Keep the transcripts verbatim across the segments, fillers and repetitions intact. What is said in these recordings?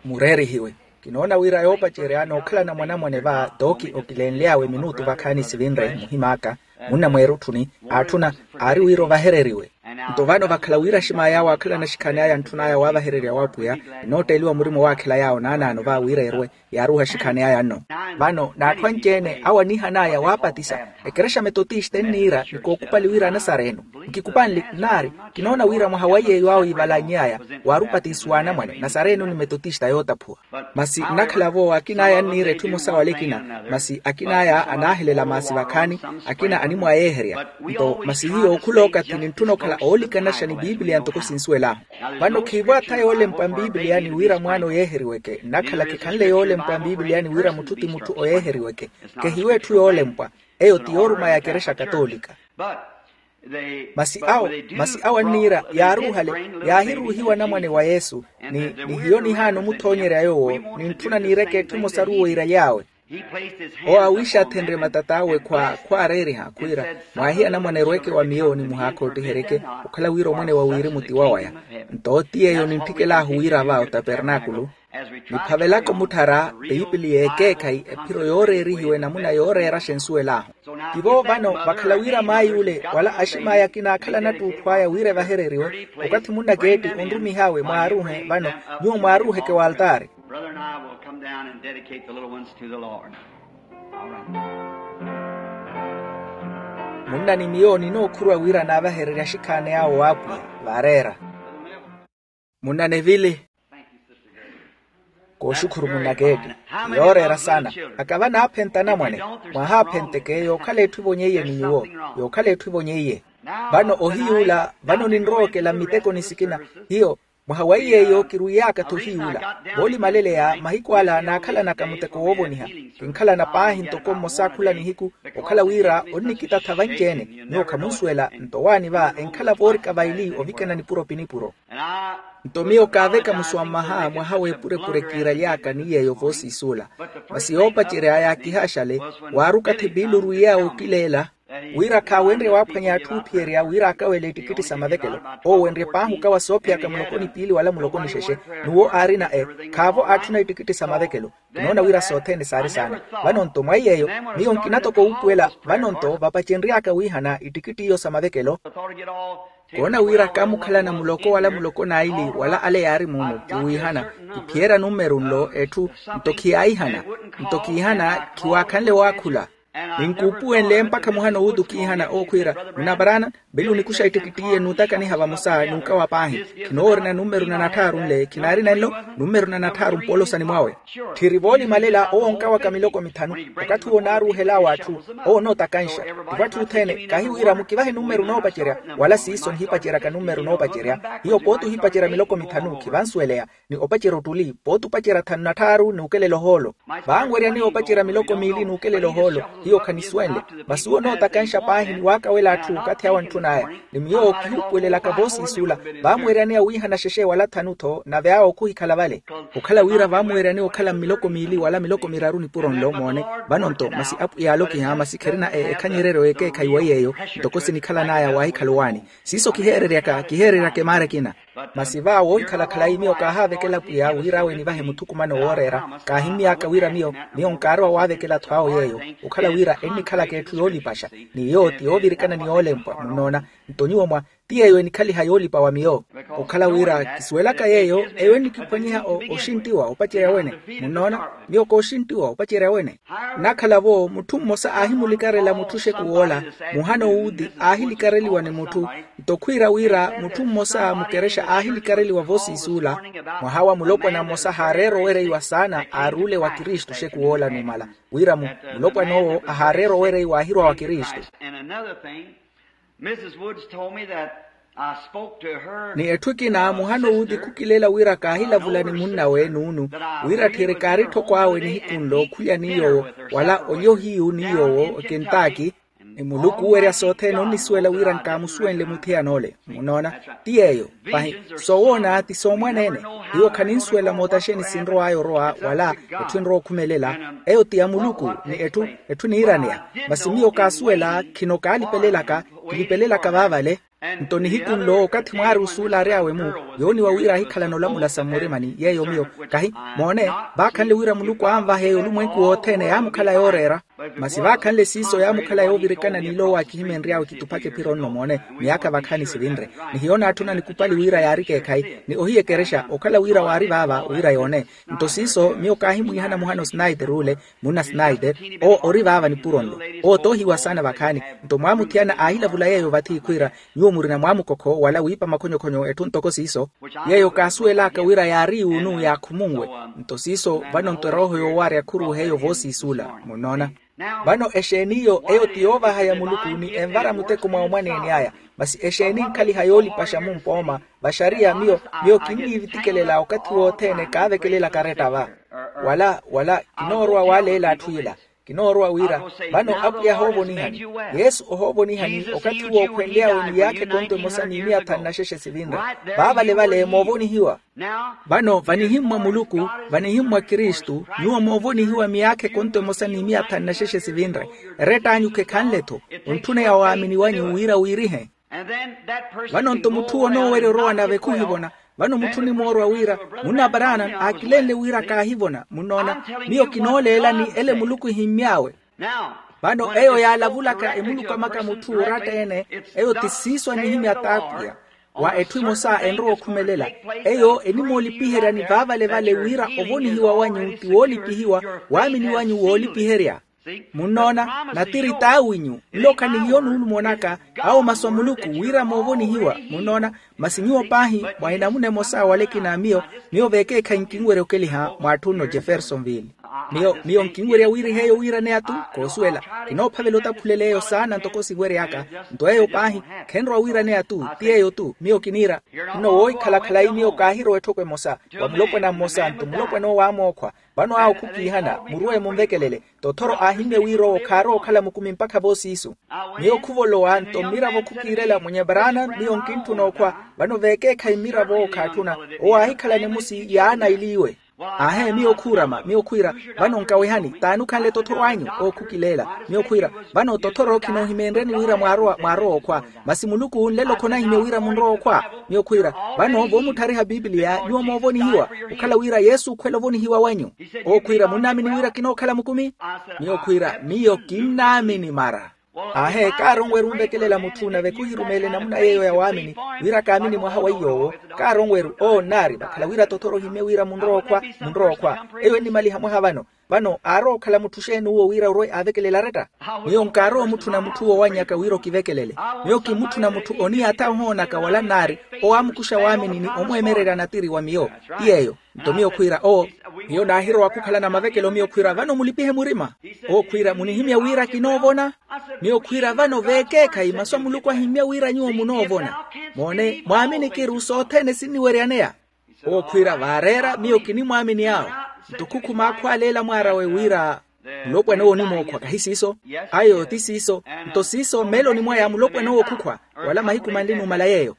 Mureerihiwe. Kinoona wira yoopacerya nookhalana mwanamwane va tooki okilenly'awe minutu vakhaani sivinre muhim'aka, munna mweerutthuni aatthuna, aari wira ovahereriwe. Nto vano vakhala wira aximaayi awo aakhalana axikhaani aya antthun'aya waavahererya w'apwiya, enootteeliwa murima owaakhela yaawo naanaano va wira erwe, yaaruuha axikhaani aya nno. Vano n'atthu anci-ene awo aniihan'aya waapatisa. Ekerexa metotista enniira ni kookupali wira anasareno. Nkikupanle nnaari, kinoona wira mwaha wa yeeyo awo iivalany'aya, waari opatisiwa anamwane nasareno ni metotista yootaphuwa. Masi nnakhala-vo akin'aya anniira etthu emosa wala ekina. Masi akin'aya anaahelela maasi vakhaani, akina animwayeeherya. Nto masi hiyo khula okathi nintthuna okhala oolikanaxa ni piipiliya ntoko sinsuwel'ahu. Vano khiivo atha yoolempwa mpiipiliyani wira mwaana oyeeheriweke nnakhala khikhanle yoolempwa mpiipiliyani wira mutthu ti mutthu oyeeheriweke. Kehiwo etthu yoolempwa. Eyo ti yooruma ya kerexa katoolika. Masi awo masi awo anniira yaaruuhale, yaahiruuhiwa anamwane wa yesu. Ni hiyo nihaana omuthonyerya yoowo. Nintthuna niireke etthu emosaru woiraly'awe. Owo awiixathenrye matat'awe khwaareeriha khwiira, mwaahiya anamwane erweke wa miyo ni muhaakhoottiheryeke. Okhala wira omwene wa wirimu ti wawaya. Nto ti yeeyo nintthikelahu wira va otapernaakulu. Niphavelaka omutthara piipili y'ekeekhayi ephiro yooreerihiwa enamuna yooreeraxa ensuwel'ahu. Tivo vano vakhala wira maay'ule wala aximaayi akina aakhala anattuutthu aya wira evahereriwe. Okathi munnakeetti onrumih'awe mwaaruuhe vano, nyuwo mwaaruuheke w'altaari. Brother and I will come down and dedicate the little ones to the Lord. Munna ni miyo ninookhuruwa wira naavahererye axikhaani awo w'apwiya. Vaareera. Munna nevili. Kooxukhuru munnakeetti. Yooreera saana. Akava naaphenta anamwane. Mwaahaaphenteke yookhala etthu evonyeiye ni nyuwo. Yookhala etthu evonyeiye. Vano ohiy'ula vano ninrowa okela mmitekoni sikina. Hiyo mwaha wa iy'eyo kirwiiyaka-tho ohiy'ula. Voolimaleleya mahiku ala naakhalanaka muteko woovoniha. Kinkhalana paahi ntoko mmosa khula nihiku. Okhala wira onnikitatha vanci-ene. Nyuwo khamunsuwela nto owaani va enkhala voorika vaili ovikana nipuro pi nipuro. Nto miyo kaaveka musuwa mmaha mwaha w'epurepure kiiraly'aka ni yeeyo voosiisuula. Masi yoopacerya yaakihaaxale. Waari okathi piili orwiiy'awe okileela wira khaawenrye waaphwanya atthu oophiyerya wira akawele ettikitti sa mavekelo. Owo wenrye paahi okawa soophiyaka muloko ni piili wala muloko ni xexe. N'uwo aarina e khaavo aatthuna ettikitti sa mavekelo. Kinoona wira sothene saari saana. Vano-nto mwa iy'eyo miyo nkina toko wuupuwela. Vano-nto vapacenry'aka wiihana ettikitti iyo sa mavekelo. Koona wira kaamukhalana muloko wala muloko n'aili wala ale yaari muumu kiwiihana. Kiphiyerya numeru nlo etthu. Nto khiyaahihana. Nto khiihana khiwaakhanle waakhula. Ninkuupuwenle mpakha muhana owuuti okiihana ookhwiira, munna paraana. Vili onikuxa ettikittiye n'utakaniha vamosa n'ukawa paahi. Khinoorina numeru na natthaaru nle khinaarina nlo. Numeru na natthaaru mpoolosani mwawe. Tthiri voolimalela owo onkawaka miloko mithanu. Okathi owo onaaruuhel'awe atthu. Owo onootakanxa. Tivo atthu othene kahi wira mukivahe numeru noopacerya. Wala siiso nihipaceryaka numeru noopacerya. Hiyo pooti ohipacerya miloko mithanu khivansuweleya. Ni opacerya ottuli pooti opacerya thanu na tthaaru n'ukelela ohoolo. Vaanweryani opacerya miloko miili n'ukelela ohoolo. Hiyo khanisuwenle. Masi owo onootakanxa paahi ni waakawela atthu okathi awo antthun'aya. Ni miyo kihuupuwelelaka voosiisuula. Vaamweryani awiihana xexe wala thanu-tho nave awo khuhikhala vale. Okhala wira vaamweryani okhala mmiloko miili wala miloko miraru nipuro nlo moone. Vano-nto masi apwiya aalokiha masi kherina e ekhanyereryo y'ekeekhayi wa iy'eyo. Ntoko sinikhalan'aya waahikhala owaani. Siiso kiheereryaka kiheereryaka emaara ekina. Masi va woohikhala khalayi miyo kaahaavekela pwiya wira awe nivahe muthukumano wooreera. Kaahimmy'aka wira miyo miyo nkaarowa waavekela-tho awo yeeyo. Okhala wira ennikhalaka etthu yoolipaxa. Ni iyo ti yoovirikana ni yoolempwa munnoona. Nto nyuwo mwa ti yeeyo enikhaliha yoolipa wa miyo. Okhala wira kisuwelaka yeeyo eyo ennikiphwanyiha oxinttiwa opacerya wene. Munnoona miyo kooxinttiwa opacerya wene. Nnakhala-vo mutthu mmosa aahimulikarela mutthu xeku woola. Muhana owuuti aahilikareliwa ni mutthu. Nto khwiira wira mutthu mmosa mukerexa aahilikareliwa voosiisuula. Mwaha wa mulopwana mmosa haareera owereiwa saana aaruule wa kristu xeku woola numala. Wira mu mulopwana owo ahaareera owereiwa aahirwa wa kristu. Mrs. Woods told me that I spoke to her. Ni etthu ekina muhana owuuti khukileela wira kaahilavula ni munnawe nuunu. Wira tthiri kaari tthoko awe nihiku nlo khulya ni yoowo wala olya ohiyu ni yoowo okentaki. Ni muluku oowerya sothene onnisuwela wira nkaamusuwenle muthiyana-ole. Munnoona? Ti yeeyo. Pahi soowoona ti soomwaneene. Hiyo khaninsuwela mootaxeni sinrow'aya orowa wala etthu enrowa okhumelela. Eyo ti ya muluku. Ni etthu etthu niiraneya. Masi miyo kaasuwela khino kaalipelelaka. Kilipelelaka vaavale. Nto nihiku nlo okathi mwaari osuula ary'awe-mu, yooniwa wira ahikhalana olamula sa mmurimani yeeyo miyo. Kahi moone, vaakhanle wira muluku anvahe olumwenku wothene yaamukhala yooreera. Masi vaakhanle siiso yaamukhala yoovirikana n'iloowo akihimenry'awe kituphaka ephiro nno moone, miyaakha vakhaani sivinre. Ni hiyo naatthuna nikupali wira yaari ekeekhayi, ni ohiya ekerexa okhala wira waari vaava wira yoone. Nto siiso miyo kaahimwiihana muhana osnaiter ule, munna snaiter, owo ori vaava nipuro nlo. Owo toohiwa saana vakhaani. Nto mwaamuthiyana aahilavula yeeyo vathi khwiira, nyuwo murina mwaamukokho wala wiipa makhonyokhonyo etthu ntoko siiso, yeeyo kaasuwel'aka wira yaari yuunu yaakhumunwe. Nto siiso vano nto erooho yoowarya khuruuhe eyo voosiisuula. Munnoona? Vano exeeni iyo eyo ti yoovaha ya muluku ni envara muteko mwa omwaneeni aya. Masi exeeni nkhaliha yoolipaxa mumpooma, vaxariya miyo, miyo kinniivitikelela okathi wothene kaavekelela karetta va. Wala wala kinoorowa waleela atthu ila. Kinoorowa wira vano apwiya ahoovonihani. Yesu ohoovonihani okathi wookhwenly'awe miyaakha ekonto emosa ni miya thanu na xexe sivinre. Vaavale vale moovonihiwa. Vano vanihimmwa muluku, vanihimmwa kristu, nyuwo moovonihiwa miyaakha ekonto emosa ni miya thanu na xexe sivinre. Erett'anyu khekhanle-tho. Ontthuna ya waamini wanyu wira wiirihe. Vano nto mutthu onoowerya orowa nave khuhivona. Vano mutthu onimoorwa wira, munna branham aakilenle wira kaahivona munnoona. Miyo kinooleelani ele muluku ehimmy'awe. Vano eyo yaalavulaka emuluku amaka mutthu oratta-ene, eyo ti siiso anihimya t'apwiya. Wa etthu emosa enrowa okhumelela, eyo enimoolipiheryani vaavale vale wira ovonihiwa wanyu ti woolipihiwa, waamini wanyu woolipiherya. Munnoona? Natiri t'awinyu. Nlo khanihiyo nuulumo naka, awo masu a muluku wira moovonihiwa. Munnoona? Masi nyuwo paahi mwa enamuna emosa wala ekina a miyo. Miyo veekeekhayi nkinwerya okeliha mwa atthu nno jeffersonville. Miyo miyo nkinwerya wiiriha eyo wiiraneya-tu. Koosuwela, kinoophavela otaphulel'eyo saana ntoko siwery'aka. Nto eyo paahi khenrowa wiiraneya-tu. Ti eyo-tu miyo kiniira. Nno woohikhala khalayi miyo kaahirowa etthoko emosa, wa mulopwana mmosa nto mulopwana owo aamookhwa. Vano awo khukiihana muruwe munvekelele. Tothoro aahimmye wira owo khaarowa okhala mukumi mpakha voosiisu. Miyo khuvolowa nto mmiravo khukiirela mwenye branham miyo nkintthuna okhwa. Vano veekeekhayi mmiravo owo khaatthuna. Owo aahikhala nimusi yaana eliiwe. Aahe miyo khuurama miyo khwiira, vano nkawehani t'ani okhanle tothoro anyu? Owo khukileela. Miyo khwiira, vano tothoro khinoohimeenryani wira mwaarowa mwaarowa okhwa. Masi muluku nlelo khonahimya wira munrowa okhwa. Miyo khwiira, vano voomutthariha pipiliya nyuwo moovonihiwa. Okhala wira yesu okhwela ovonihiwa wanyu. Owo khwiira munnaamini wira kinookhala mukumi? Miyo khwiira miyo kinnaamini mara. Aahe kaaronweru onvekelela mutthu nave khuhirumeela enamuna yeeyo ya waamini, wira kaamini mwaha wa iy'owo. Kaaronweru owo nnaari vakhala wira tothoro ohimmye wira munrowa okhwa. Munrowa okhwa. Eyo ennimaliha mwaha vano. Vano aarowa okhala mutthu xeeni uwo wira orwe aavekelela aretta? Miyo nkaarowa omutthuna mutthu woowannyaka wira okivekelele. Miyo kimutthuna mutthu oniyatha ohoonaka wala nnaari, owo aamukuxa waamini ni omweemererya natiri wa miyo. Ti yeeyo. Nto miyo khwiira owo, miyo naahirowa khukhalana mavekelo miyo khwiira vano mulipihe murima. Owo khwiira munihimya wira kinoovona? Miyo khwiira vano veekeekhayi masu a muluku ahimmya wira nyuwo munoovona. Moone mwaamini kiru sothene sinniweryaneya. Owo khwiira vaareera miyo kinimwaamini awo. Nto khukhuma akhwaaleela mwaar'awe wira, mulopwana owo onimookhwa kahi siiso? Ayo ti siiso. Nto siiso mmeeloni mwaya mulopwana owo khukhwa, wala mahiku manli numala yeeyo.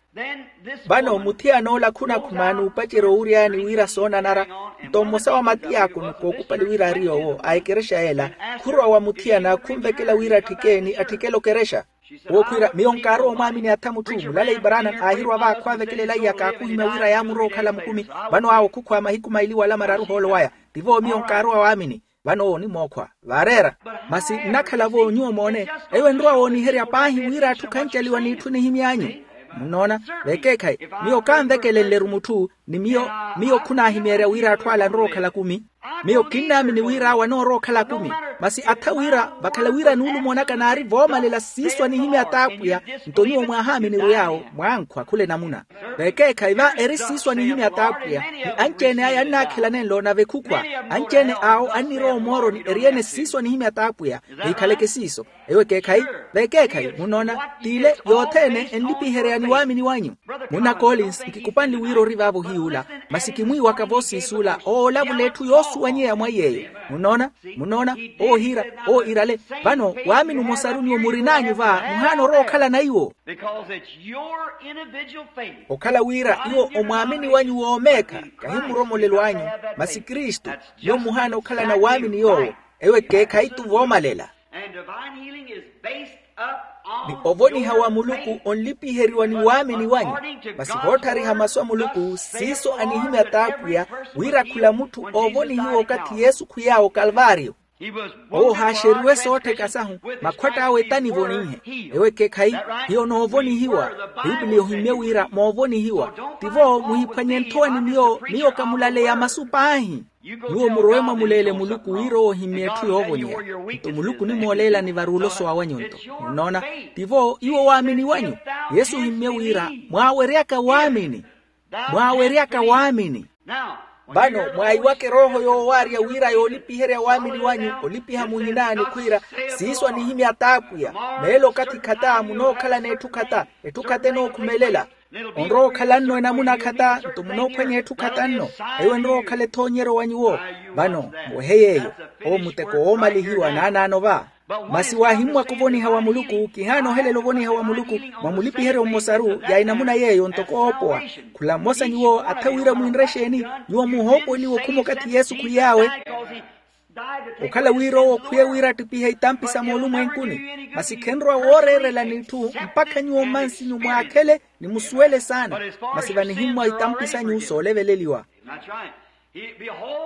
Vano muthiyana ola khunakhuma n'upacerya owuryani wira soonanara. Nto mmosa wa matiyaakono kookupali wira ari yoowo a ekerexa yeela, khurowa wa muthiyana khunvekela wira atthike ni atthikela okerexa. Wookhwiira miyo nkaarowa omwaamini atha mutthu mulaleyi branham aahirowa vaakhwa avekelela iyaka akhuhimya wira yaamurowa okhala mukumi. Vano awo khukhwa mahiku maili wala mararu ohoolo waya. Tivo miyo nkaarowa waamini. Vano owo onimookhwa vaareera. Masi nnakhala-vo nyuwo moone, eyo enrowa wooniherya paahi wira atthu khancaliwa n'itthu nihimy'anyu. Munnoona? Veekeekhayi, miyo kaanvekelenle-ru mutthu, ni miyo miyo khunaahimeerya wira atthu ala anrowa okhala kumi. Miyo kinnaamini wira awo anoorowa okhala kumi. Masi atha wira vakhala wira nuulumo naka naari voomalela siiso anihimya t'apwiya. Nto nyuwo mwahaamini-ru yaawo mwankhwa khula enamuna. Veekeekhayi va eri siiso anihimya t'apwiya. Ni anci-ene aya annaakhelanenlo nave khukhwa. Anci-ene awo annirowa omooroni eri-ene siiso anihimya t'apwiya. Vihikhaleke siiso. Ewo ekeekhayi. Veekeekhayi munnoona, t'ile yothene enlipiheryani waamini wanyu. Munna collins nkikupanle wira ori vaavo ohiy'ula. Masi kimwiiwaka voosiis'ula oolavula etthu yoosuwanyeya mwa iy'eyo. Munnoona? Munnoona? Owo ohiira, owo iirale. Vano waamini omosaru nyuwo murin'anyu va muhaana orowa okhalana iwo. Okhala wira iwo omwaamini wanyu woomeekha, kahi mmuromolelo anyu, masi kristu. Nyuwo muhaana okhalana waamini yoowo. Ewo ekeekhayi-tu voomalela. And divine healing is based up Ni ovoniha wa muluku onlipiheriwa ni waamini wanyu. Masi voottariha masu a muluku siiso anihimya t'apwiya, wira khula mutthu oovonihiwa okathi yesu khwiy'awe okalvaariyo. Owo haaxeriwe soottheka sahu, makhwatt'awe tanivonihe. Ewo ekeekhayi, hiyo noovonihiwa. Piipiliya ohimmye wira moovonihiwa. Tivo muhiphwanye nthowa ni miyo miyo kamulaleya masu paahi. Nyuwo murowe mwamuleele muluku wira owo ohimmye etthu yoovonyeya. Nto muluku onimooleela ni varuuloso awanyu nto. Munnoona? Tivo iwo waamini wanyu. Yesu ohimmye wira mwaaweryaka waamini. Mwaaweryaka waamini. Vano mwaayiwaka erooho yoowaarya wira yoolipiherya waamini wanyu olipiha muhina ni khwiira, siiso anihimya t'apwiya. Meelo okathi khata munookhalana etthu khata. Etthu khata enookhumelela. Onrowa okhala nno enamuna khata nto munoophwanya etthu khata nno. Eyo enrowa okhala ethoonyeryo wa nyuwo. Vano muwehe yeeyo. Owo muteko woomalihiwa naanaano va. Masi waahimmwaka ovoniha wa muluku kihaana ohelela ovoniha wa muluku. Mwa mulipiheryo mmosaru ya enamuna yeeyo ntoko oopowa. Khula mmosa nyuwo atha wira mwinre exeeni? Nyuwo muhoopoweliwa okhuma okathi yesu khwiy'awe. Okhala wira owo okhwiye wira attipihe itampi sa moolumwenkuni. Masi khenrowa wooreerela n'itthu mpakha nyuwo mmansinyu mwaakhele ni musuwele saana. Masi vanihimmwa itampi sanyu sooleveleliwa.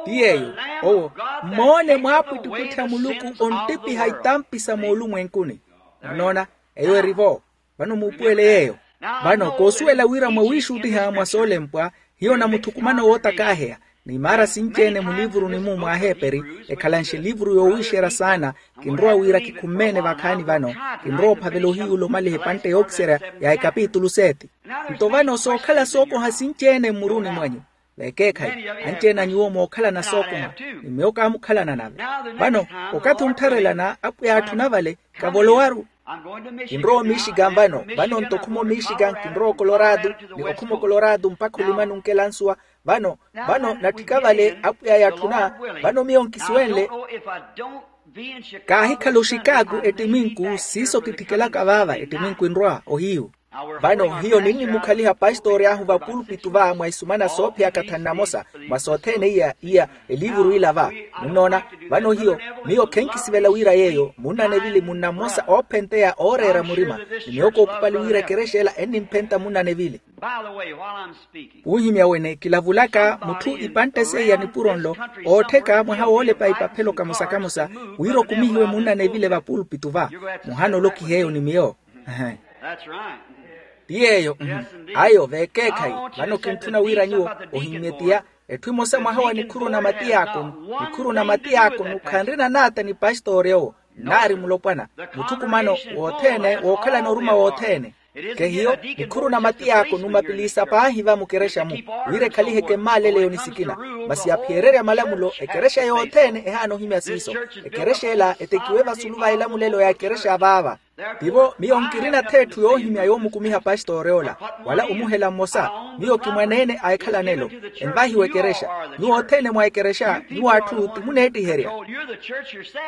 Ti yeeyo. Owo mmoone mwaapwittipwitthi a muluku onttipiha itampi sa moolumwenkuni. Munnoona? Eyo eri-vo. Vano muupuwele yeeyo. Vano koosuwela wira mwawiixuttiha mwa soolempwa, hiyo namuthukumano wootakaaheya. Ni maara sinci-ene muliivuruni-mu mwa aheeperi, ekhalanxe eliivuru yoowiixerya saana. Kinrowa wira kikhumme-ene vakhaani vano. Kinrowa ophavela ohiyuula omaliha epantte yookiserya ya ekapitulu seeti. Nto vano sookhala sookoha sinci-ene mmuruni mwanyu. Vekeekhayi, anci-ene a nyuwo mookhalana sookoha. Ni miyo kaamukhalana nave. Vano okathi onttharelana apwiya atthuna vale. Kavolowaru. Kinrowa omixikan vano. Vano nto okhuma omixikan kinrowa okolorado. Ni okhuma okolorado mpakha olimani onkela nsuwa. Vano vano natthika vale apwiya yatthuna. Vano miyo nkisiwenle. Kaahikhala oxikaaku ettiminku siiso kitthikelaka vaava ettiminku enrwa ohiyu. Vano hiyo ninnimukhaliha pastori ahu vapulpitu va mwa isumana soophiyaka thanu namosa. Mwa sothene iya iya eliivuru ila va. Munnoona? Vano hiyo miyo khenkisivela wira yeeyo munnanevili munnamosa oophenteya ooreera murima. Ni miyo kookhupali wira ekerexa ela ennimphenta munnanevili. Wuuhimya wene kilavulaka mutthu ipantte seiya nipuro nlo oottheka mwaha woolepa ipaphelo kamosa kamosa. Wira okumihiwe munnanevile vapulpitu va. Muhana olokiha eyo ni miyo. Ti yeeyo. Ayo vekeekhayi. Vano kintthuna wira nyuwo ohimmye tiya etthu emosa mwaha wa nikhuru na matiyaakonu. Nikhuru na matiyaakonu khanrina naata ni pastori owo nnaari mulopwana. Mutthukumano wothene wookhalana oruma wothene. Kehiyo nikhuru na matiyaakonu mapiliisa paahi va mukerexa-mu. Wira ekhalihe kemmaaleleyo ni sikina. Masi yaphiyererya malamulo ekerexa yothene ehaana ohimya siiso. Ekerexa ela etekiwe vasulu va elamulelo ya ekerexa vaava. Tivo miyo nkirina-tho etthu yoohimya yoomukumiha pastori ola wala omuhela mmosa. Miyo kimwaneene a ekhalanelo. Envahiwa ekerexa. Nyuwo othene mwa ekerexa nyuwo atthu ti muneettiherya.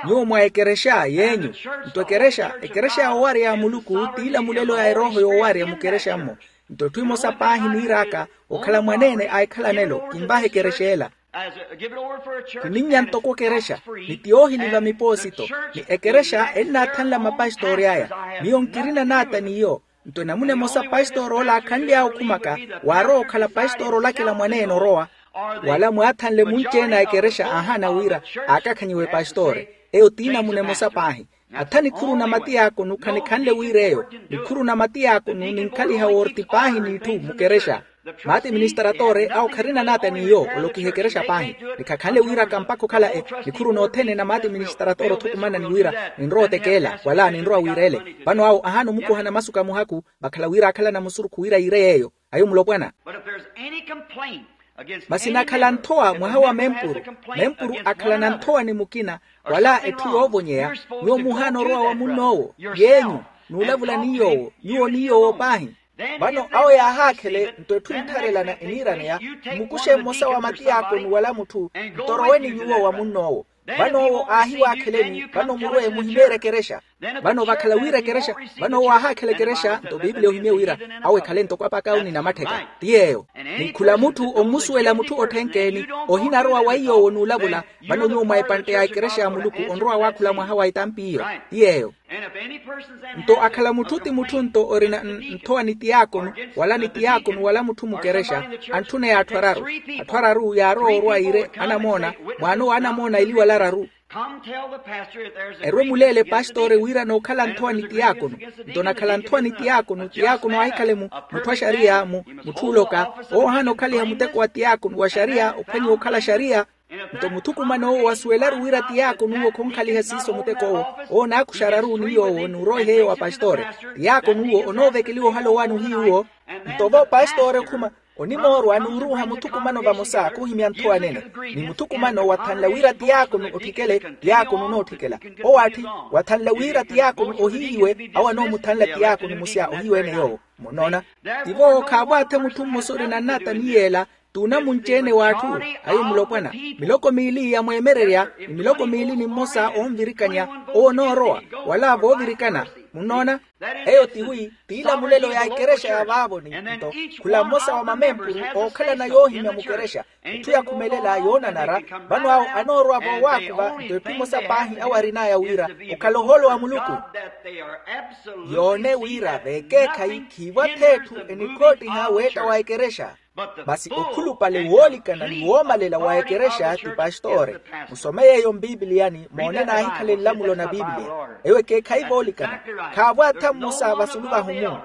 Nyuwo mwa ekerexa yeenyu. Nto ekerexa ekerexa yoowarya ya muluku t'ilamulelo ya erooho yoowarya mukerexa-mmo. Nto etthu emosa paahi niir'aka okhala mwaneene a ekhalanelo kinvaha ekerexa ela. Kininnya ntoko ekerexa ni ti yoohiliva mipoosito. Ni ekerexa ennaathanla mapastori aya. Miyo nkirina naata n'iyo. Nto enamuna emosa pastori ola aakhanly'awe okhumaka waarowa okhala pastori olakela mwaneene orowa. Wala mwaathanle munci-ene a ekerexa aahaana wira aakakhanyiwe pastori. Eyo t'inamuna emosa paahi. Atha nikhuru na matiyaakonu khanikhanle wira eyo. Nikhuru na matiyaakonu ninkhaliha woorti paahi n'itthu mukerexa. Maati ministratore awo kharina naata n'iyo olokiha ekerexa paahi. Ni khakhanle wiiraka mpakha okhala e nikhuru nothene na maati ministratore othukumana ni wira ninrowa otekeela wala ninrowa wiireele. Vano awo ahaana omukuhana masu ka muhaku vakhala wira akhalana musurukhu wira yiire yeeyo. Ayo mulopwana. Masi nakhala nthowa mwaha wa mempuru. Mempuru akhalana nthowa ni mukina wala etthu yoovonyeya. Nyuwo muhaana orowa wa munn'owo yeenyu n'ulavula ni yoowo nyuwo ni yoowo paahi. Vano awo yaahaakhele nto etthu enttharelana eniiraneya. Mmukuxe mmosa wa matiyaakoni wala mutthu nto orowe ni nyuwo wa munn'owo. Vano owo aahiwaakheleni vano murwe muhimeere ekerexa. Vano vakhala wira ekerexa, vano owo aahaakhela ekerexa nto biipiliya ohimye wira awo ekhale ntoko apaka awo ni namattheka. Ti yeeyo. Ni khula mutthu ommusuwela mutthu otthenkeeni, ohinarowa wa iy'owo n'ulavula. Vano nyuwo mwa epantte ya ekerexa ya muluku onrowa waakhula mwaha wa etampi iyo. Ti yeeyo. Nto akhala mutthu ti mutthu nto orina nthowani tiyaakonu wala ni tiyaakonu wala mutthu mukerexa, antthuneya atthu araru. Atthu araru yaarowa orwa iire anamoona, mwaanowa anamoona iliwala araru. Erwe muleele pastori wira nookhala nthowani tiyaakonu. Nto nakhala nthowani tiyaakonu tiyaakonu aahikhale mutthu a xariya mutthu oloka, owo ohaana okhaliha muteko wa tiyaakonu wa xariya ophwanyiwa okhala xariya. Nto muthukumano owo wasuwelaru wira tiyaakonu owo khonkhaliha siiso muteko owo. Owo naakuxararu ni yoowo n'uroiha eyo wa pastore. Tiyaakonu owo onoovekeliwa ohala owaani ohiyuwo. Nto vo pastore okhuma onimoorwa n'uruuha muthukumano vamosa khuhimya nthowa nene, ni muthukumano wathanla wira tiyaakonu otthikele. Tiyaakonu onootthikela owo atthi wathanla wira tiyaakonu ohihiwe awo anoomuthanla tiyaakonu musya ohiwe-ene yoowo. Munnoona? Tivo khaavwaathe mutthu mmosa orina nnata ni yeela t'unamunci-ene w'atthu ayo mulopwana, miloko miili ya mweemererya ni miloko miili ni mmosa oonvirikanya owo onoorowa wala voovirikana. Munnoona? Eyo tiwi tiilamulelo ya ekerexa ya vaavo ni nto khula mmosa wa mamempuru ookhalana yoohimya mukerexa. Etthu yakhumelela yoonanara vano awo anoorowa voowaakuva nto etthu emosa paahi awo arin'aya wira okhala ohoolo wa muluku. Yoone wira veekeekhayi khiivwa-tho etthu enikhoottiha weetta wa ekerexa. Masi okhulupale woolikana ni woomalela wa ekerexa ti pastore. Musome yeeyo mpipiliyani moone naahikhala enlamulo na pipilia. Eyo ekeekhayi voolikana. Khaavwaatha mmosa vasulu vahumu.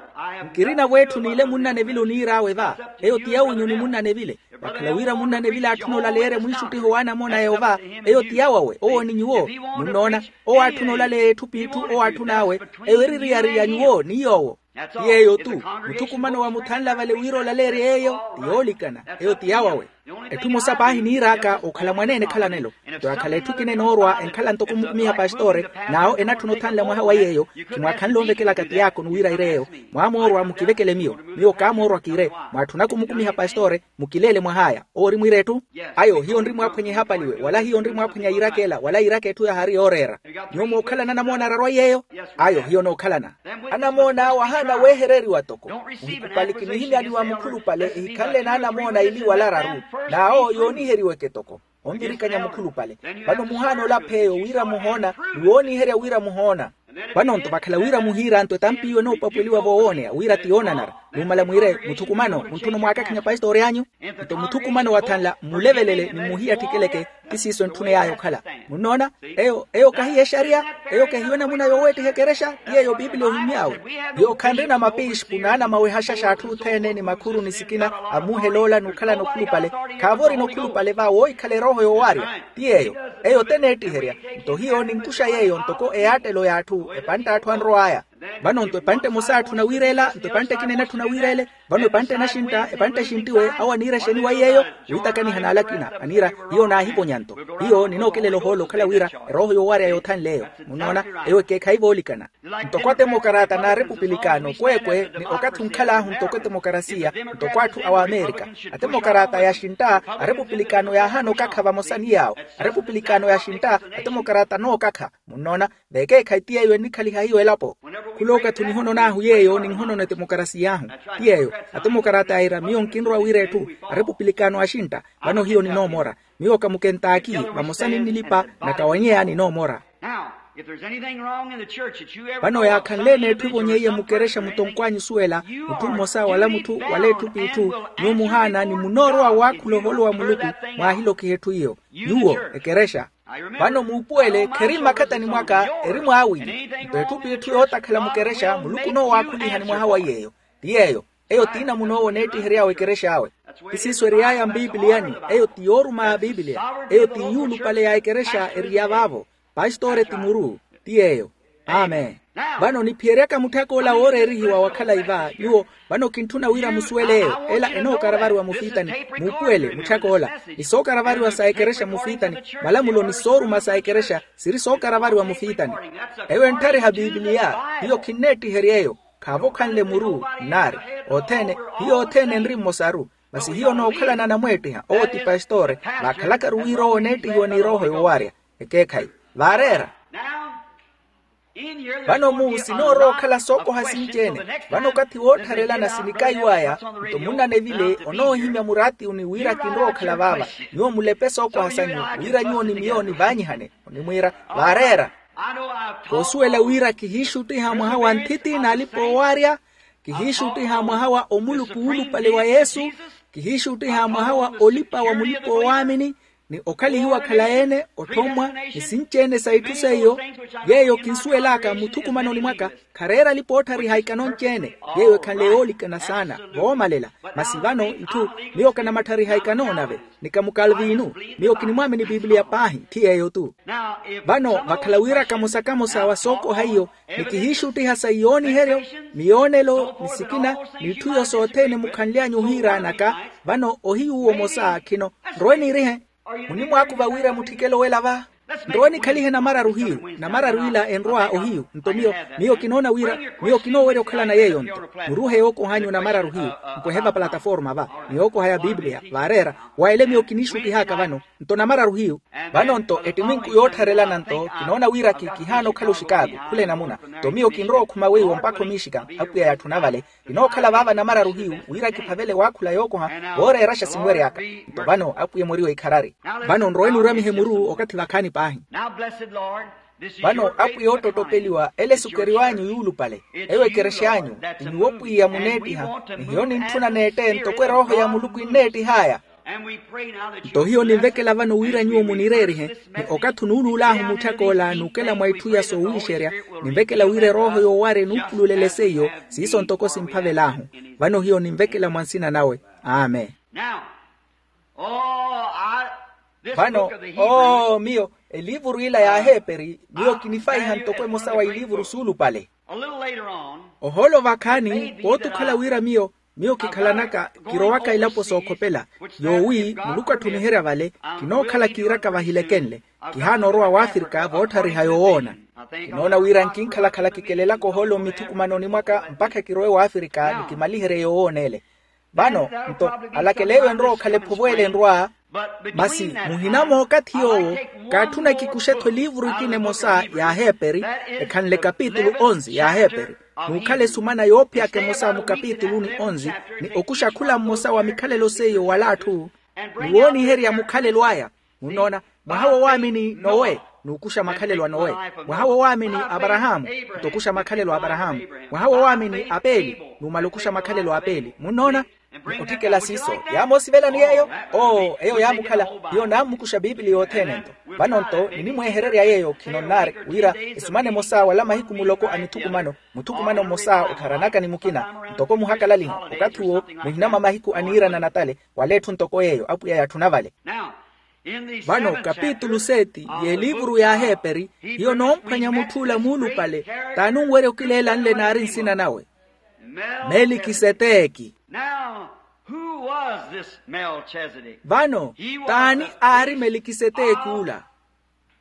Nkirina vwetthu niile munnanevile oniir'awe va. Eyo ti yawinyu ni munnanevile. Vakhala wira munnanevile aatthuna olaleerya mwiixuttiho w'anamoona a yeova. Eyo ti yawawe owo ni nyuwo. Munnoona? Owo aatthuna olaleerya etthu p'itthu owo aatthun'awe. Eyo eri eriyari ya nyuwo ni yoowo. Ti yeeyo-tu. Muthukumano wamuthanla vale wira olaleerye yeeyo ti yoolikana. Eyo ti yawawe. Etthu emosa paahi niir'aka okhala mwaneene ekhalanelo. Nto akhala etthu ekina enoorwa enkhala ntoko omukumiha pastore. N'awo enatthuna othanla mwaha wa yeeyo. Khimwaakhanle onvekelaka tiyaakonu wira iire eyo. Mwaamoorwa mukivekele miyo. Miyo kaamoorwa kiire. Mwaatthunaka omukumiha pastore. Mukileele mwah'aya owo ori mwiira etthu. Ayo hiyo nri mwaaphwanya ehapaliwe wala hiyo nri mwaaphwanya yiiraka ela wala yiiraka etthu yahaari yooreera. Nyuwo mookhalana anamoona araru a yeeyo. Ayo hiyo nookhalana. Anamoona awo ahaana weehereriwa toko. Muhikupali kinihimyaniwa mukhulupale ehikhanle n'anamoona ili wala araru. N'awo yooniheriweke toko onvirikanya mukhulupale. Vano muhaana olapha eyo wira muhoona ni wooniherya wira muhoona. Vano nto vakhala wira muhiira nto etampi iwe enoopapweliwa voowooneya wira ti yoonanara. Numala mwiire muthukumano muntthuna omwaakakhinya pastori anyu. Nto muthukumano wathanla mmulevelele ni mmuhiyattikeleke. Ti siiso entthuney'aya okhala. Munnoona? Eyo eyo kahiyo exariya. Eyo kahiyo enamuna yooweettiha ekerexa. Ti yeeyo piipili ohimy'awe. Yoowo khanrina mapiixpu n'anamawehaxaxa atthu othene ni makhuru ni sikina. Amuuhela ola n'ukhalana okhulupale. Khaavo orina okhulupale va woohikhala erooho yoowarya. Ti yeeyo. Eyo teneettiherya. Nto hiyo ninkuxa yeeyo ntoko eyaattelo y'atthu epantte atthu anrow'aya. Vano nto epantte emosa aatthuna wiir'ela nto epantte ekina enatthuna wiir'ele. Vano epantte enaxintta epantte exinttiwe awo aniira exeni wa yeeyo. Wiitakaniha n'ale akina aniira. Hiyo naahivonya nto hiyo ninookelela ohoolo okhala wira erooho yoowarya yoothanle eyo. Munnoona? Eyo ekeekhayi voolikana. Ntoko atemokarata n'arepupilikano kweekwe ni okathi onkhal'ahu ntoko etemokarasiya ntoko atthu a w'amerika. Atemokarata yaxintta arepupilikano yaahaana okakha vamosa ni yaawo. Arepupilikano yaxintta atemokarata anookakha. Munnoona? Vekeekhayi ti yeeyo ennikhaliha hiyo elapo. Khula okathi onihonon'ahu yeeyo ninhonona etemokarasiy'ahu. Ti yeeyo. Atemokarata yaira miyo nkinrowa wira etthu arepupilikano axintta. Vano hiyo ninoomora. Miyo ka mukentaaki vamosa ninnilipa nakawanyeya ninoomora. Vano yaakhanle-ene etthu evonyeiye mukerexa mutonkw'anyu osuwela mutthu mmosa wala mutthu wala etthu p'itthu. Nyuwo muhaana ni munoorowa waakhula ohoolo wa muluku. Mwaahilokiha etthu iyo. Nyuwo ekerexa. Vano muupuwele kheri mmakhatani mwaka eri mwaawinyu. Nto etthu p'itthu yootakhala mukerexa muluku onoowaakhulihani mwaha wa yeeyo. Ti yeeyo. Eyo ti namuna owo oneettihery'awe ekerex'awe. Ti siiso eriy'aya mpipiliyani. Eyo ti yooruma a pipiliya. Eyo ti yuulupale ya ekerexa eri ya vaavo. Pastori ti muru. Ti yeeyo. Amen. Vano niphiyeryaka mutthak'ola wooreerihiwa wa khalayi va nyuwo. Vano kintthuna wira musuwele eyo ela enookaravariwa mufiitani. Muupuwele mutthak'ola ni sookaravariwa sa ekerexa mufiitani. Malamulo ni sooruma sa ekerexa siri sookaravariwa mufiitani. Eyo entthariha pipiliya. Hiyo khinneettiherya eyo. Khaavo khanle muru nnaari othene. Hiyo othene enri mmosaru. Masi hiyo nookhalana anamweettiha owo ti pastori. Vaakhalakaru wira owo oneettihiwa ni erooho yoowarya. Ekeekhayi, vaareera. Vano mu sinoorowa okhala sookoha sinci-ene. Vano okathi woottharelana sinikaiw'aya, nto munnanevile onoohimya muraatiwuni wira kinrowa okhala vaava. Nyuwo mulepe sookoha sanyu, wira nyuwo ni miyo nivaanyihane. Onimwiira, vaareera. Koosuwela wira kihiixuttiha mwaha wa nthitti n'alipa-oowaarya, kihiixuttiha mwaha wa omulupi wuulupale wa yesu, kihiixuttiha mwaha wa olipa wa mulipa-oowaamini, ni okhalihiwa khalayi-ene otthommwa, ni sinci-ene sa itthu seiyo. Yeeyo kinsuwel'aka muthukumanoni mwaka, khareera alipa-ootthariha ikano nci-ene. Yeeyo ekhanle yoolikana saana voomalela. Masi vano itthu, miyo kanamatthariha ikano nave, ni kamukalviinu. Miyo kinimwaamini pipiliya paahi, ti yeeyo-tu. Vano vakhala wira kamosa-kamosa wa sookoha iyo, ni kihiixuttiha sa iyooniheryo, miyoonelo ni sikina, n'itthu iyo sothene mukhanly'anyu ohiiraanaka. Vano ohiyu omosa khino, nrowe niirihe. Munimwaakuva wira mutthikele owela va? Nrowe nikhalihe namararu hiyu, namararu ila enrowa ohiyu. Nto miyo, miyo kinoona wira, miyo kinoowerya okhalana yeeyo-nto. Muruuhe yookoh'anyu namararu hiyu, mpwehe va plataforma va, ni yookoha ya pipiliya vaareera. Wa ele miyo kiniixuttih'aka vano, nto namararu hiyu. Vano-nto ettiminku yoottharelana-nto kinoona wira ki kihaana okhala oxikaaku, khula enamuna. Nto miyo kinrowa okhuma weiwo mpakha omiixika, apwiya yatthuna vale. Kinookhala vaava namararu hiyu wira kiphavele waakhula yookoha, vooreeraxa sinwery'aka. Nto vano apwiya emweriwe ikharari. Vano nrowe niiramihe muru okathi vakhaani paahi. Vano apwiya oottottopeliwa ele esukeriw'anyu yuulupale, eyo ekerex'anyu, ti nyuwo pwiya muneettiha. Ni hiyo nintthuna neette ntoko erooho ya muluku enneettih'aya. Nto hiyo ninvekela vano wira nyuwo munireerihe, ni okathi onuuluul'ahu mutthak'ola n'ukela mwa itthu iya soowiixerya, ninvekela wira erooho yoowara enuupululele seiyo. Siiso ntoko simphavel'ahu. Vano hiyo ninvekela mwa nsina nawe. Amen. Vano, oo miyo, eliivuru ila y'aheeperi miyo kinifaiha ntoko emosa wa iliivuru suulupale. Ohoolo vakhaani pooti okhala wira miyo, miyo kikhalanaka kirowaka elapo sookhopela, yoowi muluku atthuniherya vale. Kinookhala kiiraka vahilekenle, kihaana orowa wafrika vootthariha yoowoona. Kinoona wira nkinkhalakhala kikelelaka ohoolo mmithukumanoni mwaka mpakha kirowe wafrika ni kimaliherye yoowoona ele. Vano nto, alakeleyo enrowa okhala ephovo ele enrwa. Masi muhina mookathi yoowo, kaatthuna kikuxe-tho eliivuru ekina emosa y'aheeperi, ekhanle kapitulu onzi y'aheeperi, n'ukhala esumana yoophiyaka emosa mukapituluni onzi, ni okuxa khula mmosa wa mikhalelo seiyo wala atthu, ni wooniherya mukhalelo aya. Munnoona, mwaha wowaamini nowe, n'ukuxa makhalelo a nowe. Mwaha wowaamini aparahaamu, nto okuxa makhalelo a aparahaamu. Mwaha wowaamini apeeli, n'umala okuxa makhalelo a apeeli. Munnoona? Ni otthikela siiso yaamoosivelani yeeyo. Oo eyo yaamukhala. Hiyo naammukuxa pipiliya othene-nto. Vano-nto ninimweehererya yeeyo khino nnaari, wira esumana emosa wala mahiku muloko a mithukumano, muthukumano mmosa ottharanaka ni mukina, ntoko muhakalaliho. Okathi uwo muhina mwa mahiku aniirana natale, wala etthu ntoko yeeyo apwiya yatthuna vale. Vano kapitulu seti y'eliivuru y'aheeperi, hiyo noomphwanya mutth'ula muulupale, t'anunwerya okileela nle naari nsina nawe. Melikiseteki. Now, who was this Melchizedek? Vano, t'ani aari melikiseteki ula?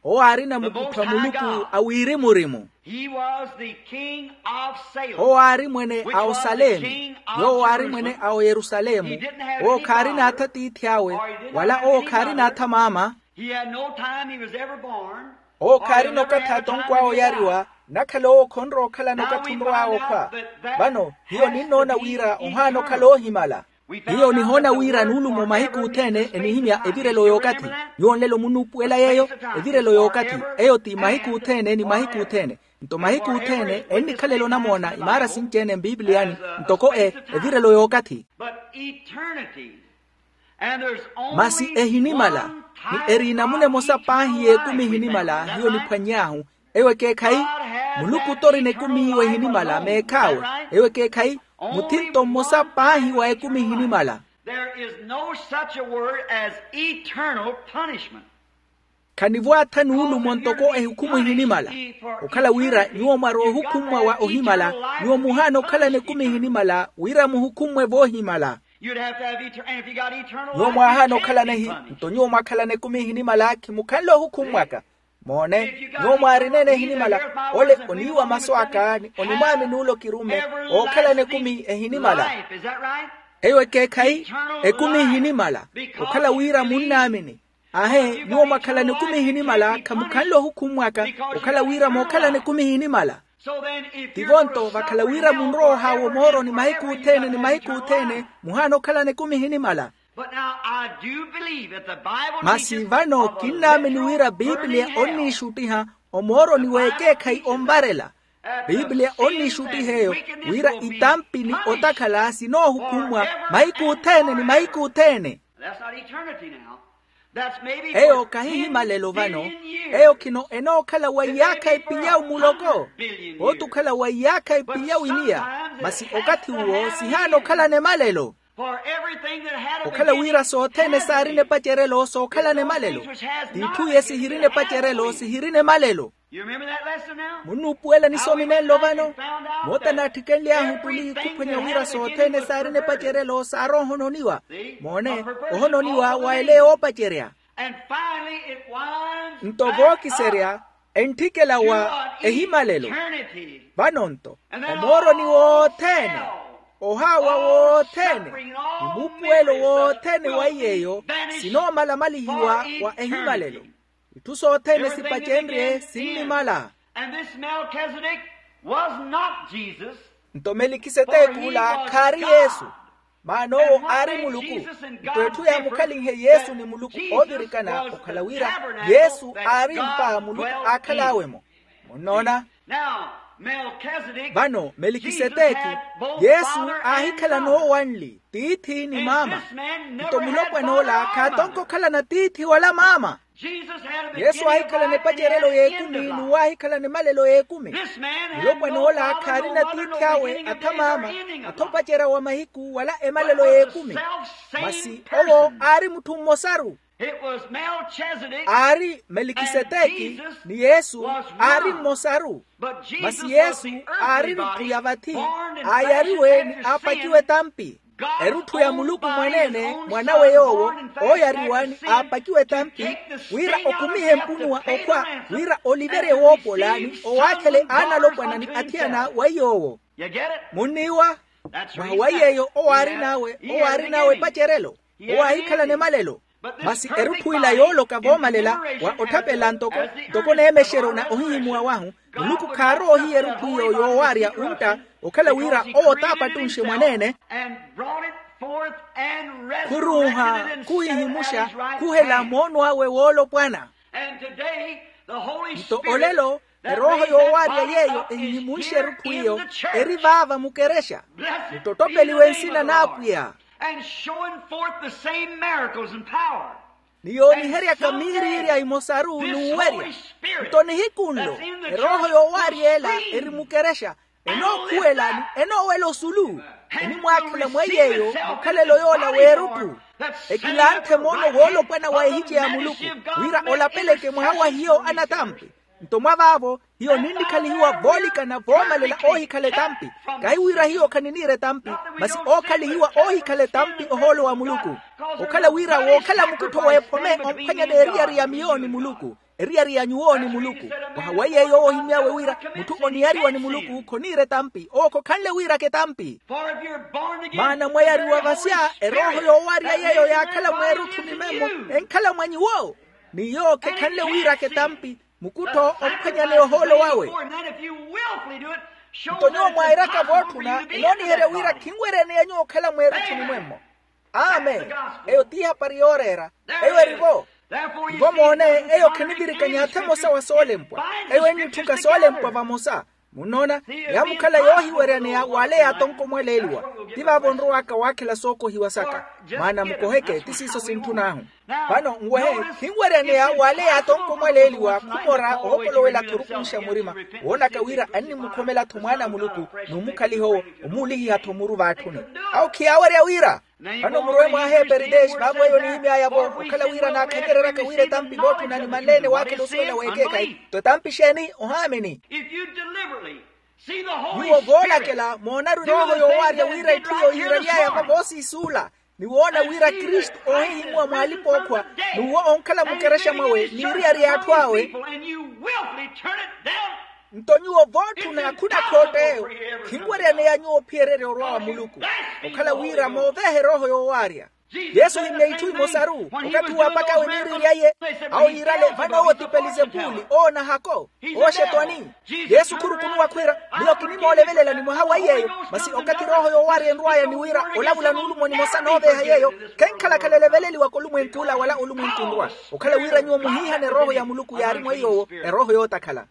Owo aarina mukuttho a muluku a wirimu-rimu. He was the king of Salem. Owo aari mwene a osalemu. Yoowo aari mwene a oyerusalemu. Owo khaarina atha tiithi awe, wala owo khaarina atha maama. He had no time he was ever born. Owo khaarina okathi atonkw'awe oyariwa, nakhala owo khonrowa okhalana okathi onrow'awe okhwa. Vano hiyo ninnoona wira ohaana okhala oohimala. Hiyo nihoona wira nuulumo mahiku othene enihimya evirelo y'okathi. Nyuwo nlelo munnuupuwela yeeyo. Evirelo y'okathi, eyo ti mahiku othene ni mahiku othene. Nto mahiku othene ennikhalela onamoona imaara sinci-ene mpipiliyani, ntoko e evirelo y'okathi. Masi ehinimala, ni eri inamuna emosa paahi y'ekumi ehinimala hiyo niphwany'ahu. Eyo ekeekhayi. Muluku t'orina ekumi iwe ehinimala meekh'awe. Eyo ekeekhayi. Muthinto mmosa paahi wa ekumi ehinimala. There is no such a word as eternal punishment. Khanivo-atha nuulumo ntoko ehukhumu ehinimala. Okhala wira nyuwo mwarowa ohukhummwa wa ohimala, nyuwo muhaana okhalana ekumi ehinimala wira muhukhummwe voohimala. Nyuwo mwaahaana okhalana ehi, nto nyuwo mwakhalana ekumi ehinimala khimukhanle ohukhummwaka. Moone, nyuwo mwaarina-ene ehinimala, ole oniiwa masu aka ni onimwaamini ole okirumme. Ookhalana ekumi ehinimala. Eyo ekeekhayi. Ekumi ehinimala. Okhala wira munnaamini. Aahe, nyuwo mwakhalana ekumi ehinimala khamukhanle ohukhummwaka, okhala wira mookhalana ekumi ehinimala. Tivo-nto vakhala wira munrowa ohaawa omooroni mahiku othene ni mahiku othene, muhaana okhalana ekumi ehinimala. Masi vano kinnaamini wira piipiliya onniixuttiha omooroni w'ekeekhayi onvarela. Piipiliya onniixuttiha eyo wira itampi ni otakhala sinoohukhummwa mahiku othene ni mahiku othene. Eyo kahihimalelo vano. Eyo khino enookhala wa iyaakha epilyawu muloko, pooti okhala wa iyaakha epilyawu iniya. Masi okathi uwo sihaana okhalana emalelo. Okhala wira sothene saarina epacerelo sookhalana emalelo, t'itthu iye sihirina epacerelo sihirina emalelo. Munnuupuwela nisomi nenlo vano? Moota naatthikenly'ahu tuli khuphwenya wira sothene saarina epacerelo saarowa ohononiwa. Moone, ohononiwa wa ele yoopacerya. Nto vookiserya entthikela wa ehimalelo. Vano-nto omooroni wothene, ohaawa wothene, ni muupuwelo wothene wa iy'eyo sinoomalamalihiwa wa ehimalelo. Itthu sothene sipacenrye sinnimala. Nto melikiseteki ula khaari yesu, maana owo aari muluku. Nto etthu yaamukhalinhe yesu ni muluku oovirikana okhala wira yesu aari mpa muluku aakhal'awe-mo. Munnoona? Vano melikiseteki, yesu aahikhala noowanli tiithi ni maama. Nto mulopwan'ola khaatonka okhalana tiithi wala maama. Yesu aahikhalana epacerelo y'ekumi n'uwo aahikhalana emalelo y'ekumi. Mulopwan'ola khaarina tiithi awe atha maama, atha opacerya wa mahiku wala emalelo y'ekumi. Masi owo aari mutthu mmosaru. Aari melikiseteki ni yesu aari mmosaru. Masi yesu aari erutthu ya vathi, aayariwe ni aapakiwa etampi. Erutthu ya muluku mwaneene mwan'awe yoowo ooyariwa ni aapakiwa etampi, wira okumihe mpunuwa okhwa wira oliverye woopola ni owaakhele aanalopwana ni athiyana wa iy'owo. Munniiwa? Mwaha wa iy'eyo owo aarin'awe owo aarin'awe epacerelo, owo aahikhalana emalelo. Masi erutthu ila yooloka voomalela wa otthapelela ntoko ntoko neemexeryo na ohihimuwa wahu, muluku khaarowa ohiya erutthu iyo yoowaarya untta, okhala wira owo t'apattunxe mwaneene. Khurunha, khuhihimuxa, khuhela moono awe woolopwana. Nto olelo erooho yoowaarya yeeyo ehihimunxe erutthu iyo, eri vaava mukerexa. Muttottopeliwe nsina n'apwiya. And showing forth the same miracles and power. Ni yooniheryaka miiriirya imosaru n'uwerya. Nto nihiku nlo erooho yoowaarya ela eri mukerexa, enookhuwela ni enoowela osulu, enimwaakhela mwa iy'eyo mukhalelo yoola w'erutthu. Ekilanthe moono woolopwana wa ehice ya muluku, wira olapeleke mwaha wa hiyo anatampi. Nto mwa vaavo hiyo ninnikhalihiwa voolikana voomalela oohikhala etampi. Kahi wira hiyo khaniniira etampi, masi ookhalihiwa oohikhala etampi ohoolo wa muluku. Okhala wira wookhala mukuttho w'ephome omphwanyana eriyari ya miyo ni muluku, eriyari ya nyuwo ni muluku. Mwaha wa iye yoowo ohimy'awe wira mutthu oniyariwa ni muluku khoniira etampi owo khokhanle wiiraka etampi. Maana mwayariwa vasya erooho yoowarya yeeyo yaakhala mweerutthu ni memmo enkhala mwa nyuwo. Ni yoowo khekhanle wiiraka etampi, mukuttho omphwanyaneya ohoolo wawe. Nto nyuwo mwairaka vootthuna enooniherya wira khinweryaneya nyuwo okhala mweerutthu ni mwemmo. Amen. Eyo ti ihapari yooreera. Eyo eri-vo. Ivo moone, eyo khinivirikanya atha emosa wa soolempwa. Eyo ennitthuka soolempwa vamosa. Munnoona, yaamukhala yoohiweryaneya w'ale yaatonkomwaleeliwa. Ti vaavo nrow'aka waakhela sookohiwa saka. Maana mukoheke ti siiso sintthun'ahu. Vano nwehe, khinweryaneya w'ale yaatonkomwaleeliwa khumora ookolowela-tho orukunxa murima, woonaka wira annimukhomela-tho mwaana a muluku, n'umukhaliha owo, omuulihiha-tho muru vaatthuni. Awo khiyaawerya wira. Vano murowe mwaaha eperitesi vaavo eyo nihimy'aya-vo okhala wira naakhanyereryaka wira etampi vootthuna ni manleene waakhela osuwela w'ekeekhayi. Nto etampi exeeni? Ohaamini. Nyuwo voolakela moonaru erooho yoowaarya wira etthu eyo yiiraly'aya-vo voosiisuula, ni woona wira kristu oohihimuwa mw'alipa-ookhwa, n'uwo onkhala mukerexa mwawe n'iriyari y'atthu awe. Nto nyuwo vootthuna khunakhootteyo, khinweryaneya nyuwo ophiyererya orwa wa muluku, okhala wira moovehe erooho yoowaarya. Yesu ohimya itthu emosaru. Okathi uwo apak'awe eniiriiryaye, awo yiirale vano owo ti pelizepuli owo nahako, owo xetwani. Yesu khurukunuwa khwiira, miyo kinimoolevelela ni mwaha wa iy'eyo. Masi okathi erooho yoowarya enrw'aya ni wira olavula nuulumo nimosa nooveeha yeeyo, khenkhalakhala eleveleliwaka olumwenk'ula wala olumwenku nrwa. Okhala wira nyuwo muhiihane erooho ya muluku yaari mwa iy'owo, erooho yootakhala.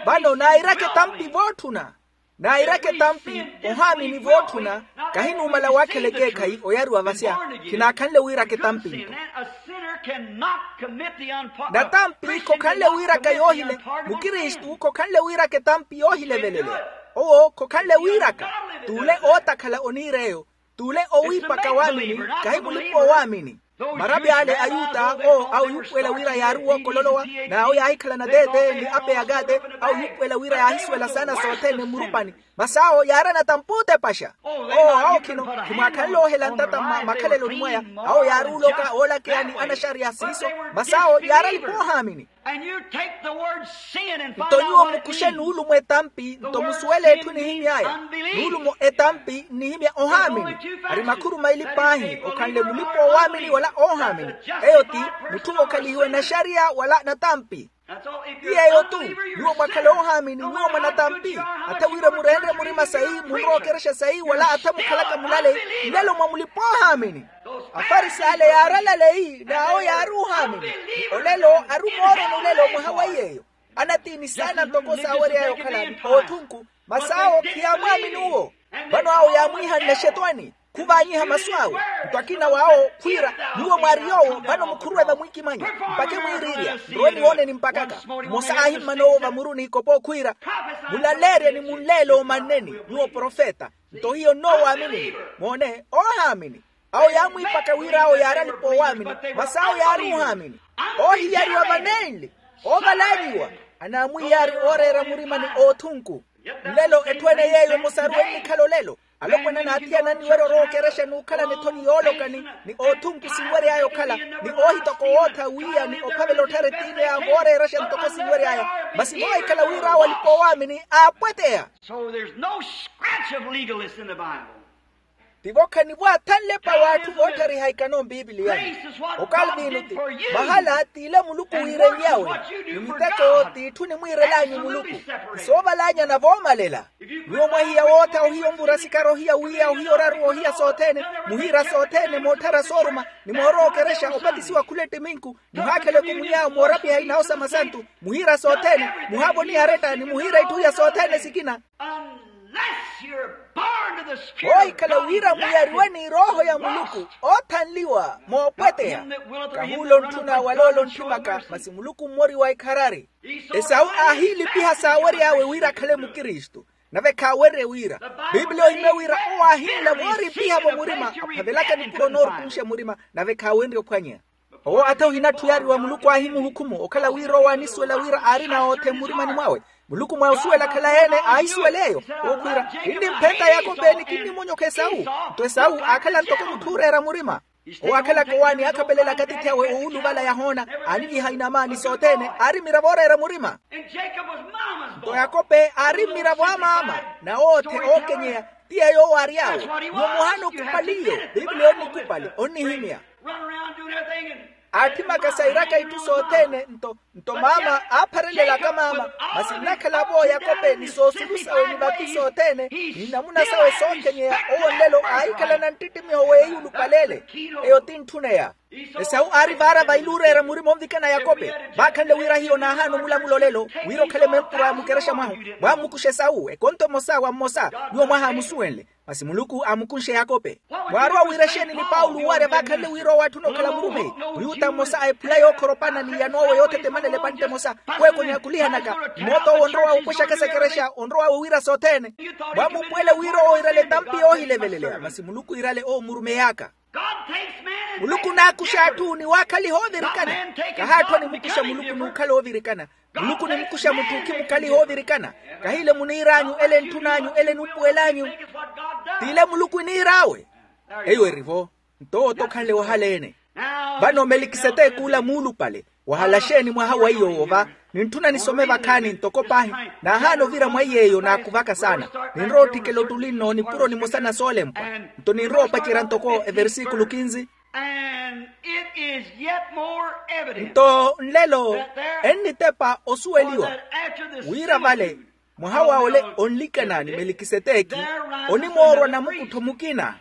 Vano nairaka etampi vootthuna. Nairaka etampi, ohaamini vootthuna. Kahinuumala waakhela ekeekhayi oyariwa vasya. Khinaakhanle wiiraka etampi nto. Natampi khokhanle wiiraka yoohile. Mukristu khokhanle wiiraka etampi yoohilevelele. Owo khokhanle wiiraka. T'ule ootakhala oniir'eyo. T'ule owiipaka waamini, kahi mulipa-oowaamini. Marapi ale ayuta owo awo yuupuwela wira yaari wookololowa, n'awo yaahikhalana teete ni ape ya kaate, awo yuupuwela wira yaahisuwela saana sothene mmurupani. Masi awo yaari anatampi ootepaxa. Owo awo khino khimwaakhanle oohela ntata mma makhaleloni mwaya. Awo yaari oloka oolakeya ni anaxariya siiso. Masi awo yaari alipa-oohaamini. Nto nyuwo mukuxe nuulumo etampi nto musuwele etthu enihimy'aya. Nuulumo etampi nnihimya ohaamini. Ari makhuru maili paahi okhanle mulipa-oowaamini wala oohaamini. Eyo ti mutthu okhalihiwe naxariya wala natampi. Ti yeeyo tu. Nyuwo mwakhala oohaamini nyuwo mwanatampi. Atha wira mureenre murima sayi munrookerexa sayi wala atha mukhalaka mulale, nlelo mwa mulipa-oohaamini. Afarisi ale yaari alaleyi n'awo yaari ohaamini. Ni olelo ari omooroni olelo mwaha wa iy'eyo. Anatiini saana ntoko saawery'aya okhala ni oothunku. Masi awo khiyaamwaamini uwo. Vano awo yaamwiihanle xetwani. Khuvaanyiha masu awe. Nto akina w'awo khwiira, nyuwo mwaari yoowo vano mukhuruwe vamwiikimanya. Mpakhe mwiiriirya nrowe niwooneni mpakaka. Mmosa aahimmana owo vamuruni ikopo khwiira, mulaleerye ni munleele omanneni nyuwo profeta. Nto hiyo nnoowaamini. Moone oohaamini. Awo yaamwiipaka wira awo yaari alipa-oowaamini. Masi awo yaari ohaamini. Oohiyariwa vanenli. Oovalaanyiwa. Anaamwiiyaari ooreera murima ni oothunku. Nlelo etthu-ene yeeyo emosaru ennikhala olelo. Alopwana n'athiyana anniwerya orookerexa n'ukhalana ethoni yoolokani ni oothunku sinwery'aya okhala, ni oohitoka owootha wiiya ni ophavela otthara etiineya mooreerexa ntoko sinwery'aya. Masi voohikhala wira awo alipa-oowaamini aapweteya. So there's no scratch of legalists in the Bible. Tivo khanivo athanlepa w'atthu voottharihahikana ompipiliyani. Okalvino ti mahala t'ile muluku wiirennyawe. Ni miteko t'itthu enimwiirel'anyu muluku. Ni soovalanyana voomalela. Nyuwo mwahiya wootha ohiya onvura sikari ohiya wiiya ohiya oraruwa ohiya sothene, muhiira sothene mootthara sooruma, ni moorookerexa opatisiwa khula ettiminku, muhaakhela ekumunyawe moorapiha inawo sa masantu, muhiira sothene, muhaavoniha aretta ni muhiira itthu iya sothene sikina. Unless you're born to the Spirit of God, voohikhala wira muyariwe n'irooho ya muluku oothanliwa moopweteya. Kahuula ontthuna wala ole ontthimaka masi muluku mmoriwa ekharari. Esawu aahiilipiha saawery'awe wira akhale mukristu. Nave khaawerye wira. Pipiliya ohimya wira owo aahinla vooripiha-vo murima aphavelaka nipuro noorukunxa murima, nave khaawenrye ophwanya. Owo atha ohinatthu yaari wa muluku aahimuhukumu okhala wira owo aanisuwela wira aarina oothe mmurimani mwawe. Muluku mwa osuwela akhala-ene aahisuwela eyo. Owo khwiira kinnimphenta yakope ni kinnimonyokha esawu. Nto esawu aakhala ntoko mutthu ooreera murima. Owo aakhalaka owaani aakhapelelaka atiithi awe owuluvala yahoona, aaniviha inama ni sothene aari mmiravo ooreera murima. Nto yakope aari mmiravo a maama na oothe ookenyeya. Ti yeeyo owo aary'awe. Nyuwo muhaana okupaliyo. Pipiliya onnikupali onnihimya. Aatthimaka sairaka itthu sothene nto nto maama aapharelelaka maama. Masi nnakhala-vo yakope ni soosulu sawe ni vatu sothene ni namuna sawe sookenyeya. Owo nlelo aahikhalana nttittimiho w'eyulupaleele. Eyo ti ntthuna eya. Esawu aari vaara vailuureera murima onvikana yakope. Vaakhanle wira hiyo naahaana omulamulo lelo wira okhale mempura mukerexa mwahu. Mwammukuxa esawu ekonto emosa wa mmosa. Nyuwo mwahaamusuwenle. Masi muluku aamukunxe yakope. Mwaarowa wira exeeni ni paulo owarya vaakhanle wira owo atthuna okhala murumeyi? Muyuta mmosa a ephula yookhoropana ni iyano awe yoothetemanela epantte emosa. Weeko nyaakulihanaka. Mmoota owo onrowa opwexaka esekerexa onrowa wiira sothene. Mwammupuwela wira owo iirale etampi yoohileveleleya masi muluku iirale owo mmurumey'aka. Muluku naakuxa atthu ni waakhaliha oovirikana. Kahaatthu animukuxa muluku n'ukhala oovirikana. Muluku onimukuxa mutthu okhimukaliha oovirikana. Kahiile muniir'anyu ele ntthun'anyu ele nuupuwel'anyu. T'ile muluku eniir'awe. Eyo eri-vo. Nto owo tokhanle wahala-ene. Vano melikiseteki ula muulupale wahala xeeni mwaha wa iy'owo va? Nintthuna nisome vakhaani ntoko paahi. Naahaana ovira mwa iy'eyo naakuvaka saana. Ninrowa otthikela ottuli nno nipuro nimosa na soolempwa. Nto ninrowa opacerya ntoko eversikulu kinzi. And it is yet more evident. Nto nlelo ennitepa osuweliwa wira vale mwaha wa ole onlikana ni melikiseteki, onimoorwa namukuttho mukina.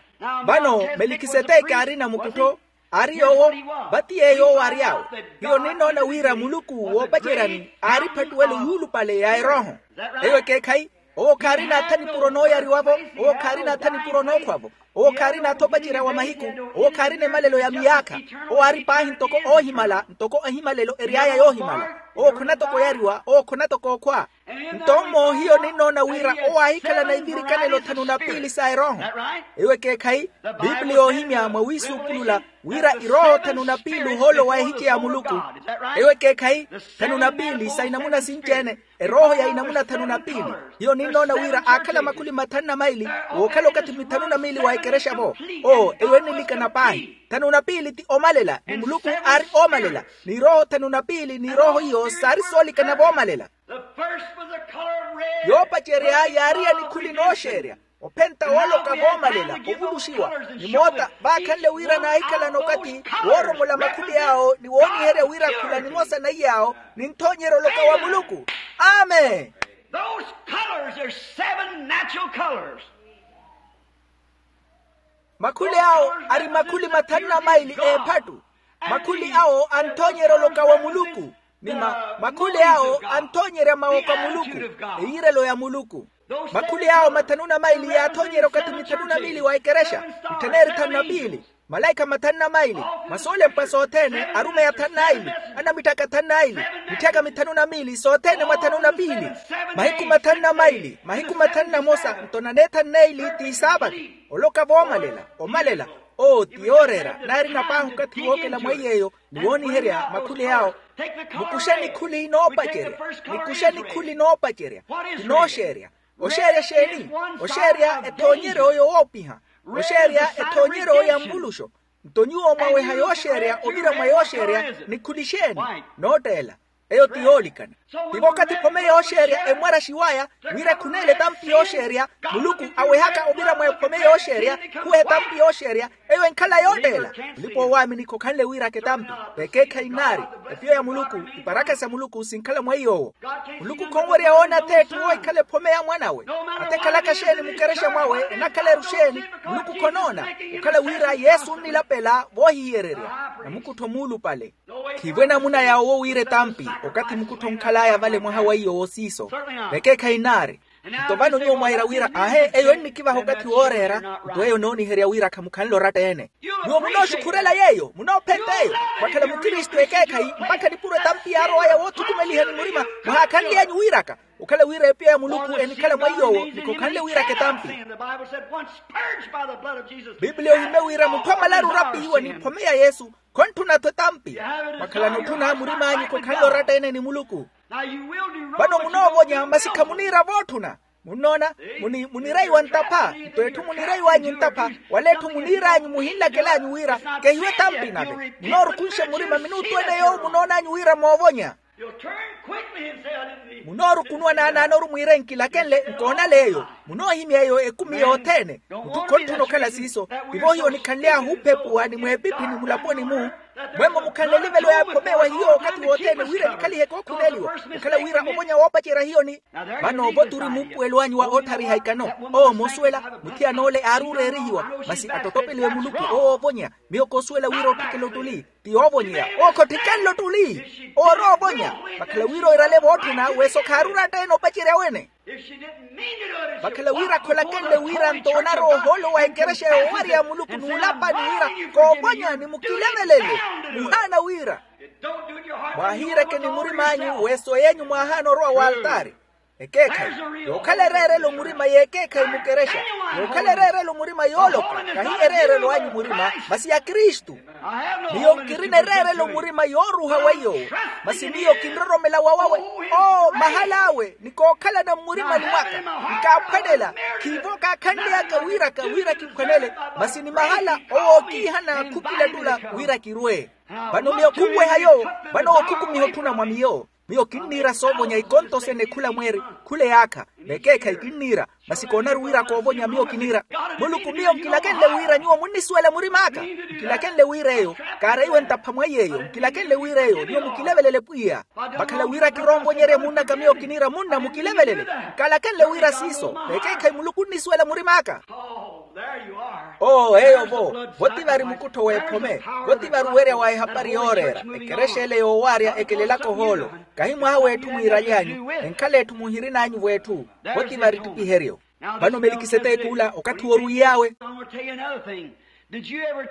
Vano melikiseteki aari namukuttho, aari yoowo, vati yeeyo owo aary'awe. Hiyo ninnoona wira muluku woopaceryani aari ephattuwelo yuulupale ya erooho. Eyo ekeekhayi. Owo khaarina atha nipuro nooyariwa-vo. Owo khaarina atha nipuro nookhwa-vo. Owo khaarina atha opacerya wa mahiku. Owo khaarina emalelo ya miyaakha. Owo aari paahi ntoko oohimala ntoko ehimalelo ery'aya yoohimala. Owo khona toko oyariwa owo khona toko okhwa. Nto mmo hiyo ninnoona wira owo aahikhalana ivirikanelo thanu na piili sa erooho. Eyo ekeekhayi. Pipiliya oohimya mwawiisuupulula wira irooho thanu na piili ohoolo wa ehice ya muluku. Eyo ekeekhayi. Thanu na piili sa inamuna sinci-ene. Erooho ya inamuna thanu na piili. Hiyo ninnoona wira aakhala makhuli mathanu na maili wookhala okathi mithanu na miili wa ekerexa-vo. Oo eyo ennilikana paahi. Thanu na piili ti omalela ni muluku aari oomalela. N'irooho thanu na piili n'irooho iyo saari soolikana voomalela. Yoopacerya yaari ya nikhuli nooxeerya ophenta wooloka voomalela ovuluxiwa. Ni moota vaakhanle wira naahikhalana okathi wooromola makhuli awo ni wooniherya wira khula nimosa na iy'awo ninthoonyerya oloka wa muluku. Amen. Those colors are seven natural colors. Makhuli awo ari makhuli mathanu na maili eephattu. Makhuli awo anthoonyerya oloka wa muluku. Ni makhuli awo anthoonyerya mawooko a muluku, eyirelo ya muluku. Makhuli awo mathanu na maili yaathoonyerya okathi mithanu na miili wa ekerexa, mittheneeri thanu na piili, malaikha mathanu na maili, mwa soolempwa sothene arumeyi athanu na aili, anamitthaka athanu na aili, mitthaka mithanu na miili sothene mwa thanu na piili. Mahiku mathanu na maili mahiku mathanu na mosa nto naneethanu neili ti saapati. Oloka voomalela omalela. Oo ti yooreera naarina paahi okathi wookela mwa iy'eyo ni wooniherya makhuli awo. Mukuxe nikhuli noopacerya. Nikuxe nikhuli noopacerya. Ti nooxeerya. Oxeerya exeeni? Oxeerya ethoonyeryo yowoopiha. Oxeerya ethoonyeryo ya nvuluxo. Nto nyuwo mwaweha yooxeerya ovira mwa yooxeerya nikhuli exeeni? Nootteela. Eyo ti yoolikana. Tivo okathi ephome yooxeerya emmwaraxiw'aya wira ekhuneele etampi yooxeerya. Muluku awehaka ovira mwa ephome yooxeerya khuweha etampi yooxeerya. Eyo enkhala yootteela. Mulipa-oowaamini khokhanle wiiraka etampi. Vekeekhayi nnaari. Epiya ya muluku, iparakha sa muluku sinkhala mwa iy'owo. Muluku khonwerya woona atheetthu woohikhala ephome ya mwan'awe. Ata ekhalaka xeeni mukerexa mwawe enakhala-ru xeeni, muluku khonoona. Okhala wira yesu onnilapela voohihiyererya. Namukuttho muulupale. Khiivo enamuna yaawo wira etampi okathi mukuttho onkhal'aya vale mwaha wa iyo wosiiso. Vekeekhayi nnaari. Nto vano nyuwo mwaira wira aahe eyo ennikivaha okathi wooreera. Nto eyo nooniherya wira khamukhanle oratta-ene. Nyuwo munooxukhurela yeeyo munoophenta eyo. Mwakhala mukristu ekeekhayi mpakha nipuro etampi yaarow'aya woothukumelihani murima. Muhaakhanly'anyu wiiraka. Okhala wira epiya ya muluku enikhala mwa iy'owo ni khokhanle wiiraka etampi. Biblia ohimye wira mutthu amalaru orapihiwa ni ephome ya yesu. Khontthuna-tho etampi. Mwakhalana otthuna murim'anyu khokhanle oratta-ene ni muluku. Vano munoovonya masi khamuniira vootthuna. Munnoona? Muniraiwa ntapha. Nto etthu muniraiw'anyu ntapha wala etthu muniir'anyu muhinlakel'anyu wira kehiwe etampi nave munoorukhunxa murima minuuttu ene yoowo munoon'anyu wira moovonya. Munoorukunuwa naanaanoru mwiire nkilakenle nkoonale eyo. Munoohimya eyo ekumi yothene. Mutthu khontthuno okhala siiso. Tivo hiyo onikhanly'ahu ophepuwa ni mweepiphini mulaponi-mu. Mwemmo mukhanle elivelo yaakhomeewa hiyo okathi wothene wira enikhalihe kookhuneeliwa. Okhala wira ovonya woopacerya hiyo ni vano ovoturi muupuwelo anyu wa otthariha ikano. Owo moosuwela. Muthiyan'ole aari oreerihiwa. Masi attottopeliwe muluku owo oovonya. Miyo koosuwela wira otthikela ottuli. Ti yoovonyeya. Owo khotthikela ottuli. Owo ori oovonya. Vakhala wira oirale vootthuna weso khaari oratta-ene opacerya wene. Vakhala wira kholakenle wira nto onarowa ohoolo wa ekerexa yoowarya muluku n'ulapani wira koovonya ni mukilevelele. Muhaana wira mwaahiireke ni murim'anyu weso yenyu mwaahaana orowa w'altaari. Ekeekhayi yookhala ereerelo murima y'ekeekhayi mukerexa. Yookhala ereerelo murima yooloka kahi ereerelo anyu murima masi ya kristu. Miyo nkirina ereerelo murima yooruha weiyo. Masi miyo kinroromela wawawe oo mahal'awe ni kookhalana mmurimani mwaka. Nkaaphwanela khiivo kaakhanly'aka wiraka wira kiphwanele. Masi ni mahala owookiihana khukilettula wira kirwe. Vano miyo khunweha yoowo. Vano owo khukumiha otthuna mwa miyo. Miyo kinniira soovonya ikonto sene khula mweeri khula eyaakha. Vekeekhayi kinniira, masi koonaru wira koovonya miyo kiniira. Muluku, miyo nkilakenle wira nyuwo munnisuwela murim'aka. Nkilakenle wira eyo kaareiwe ntapha mwa iy'eyo, nkilakenle wira eyo nyuwo mukilevelele pwiya. Vakhala wira kiroonvonyerye munn'aka miyo kiniira munna mukilevelele. Nkalakenle wira siiso, vekeekhayi muluku onnisuwela murim'aka. Oo eyo vo, vo ti vari mukuttho w'ephome. Vo ti vari owerya wa ehapari yooreera. Ekerexa ele yoowaarya ekelelaka ohoolo. Kahi mwaha w'etthu mwiiraly'anyu, enkhala etthu muhirin'anyu v'etthu. Vo ti vari ettipiheryo. Vano melikiseteki ula okathi wooruwiy'awe.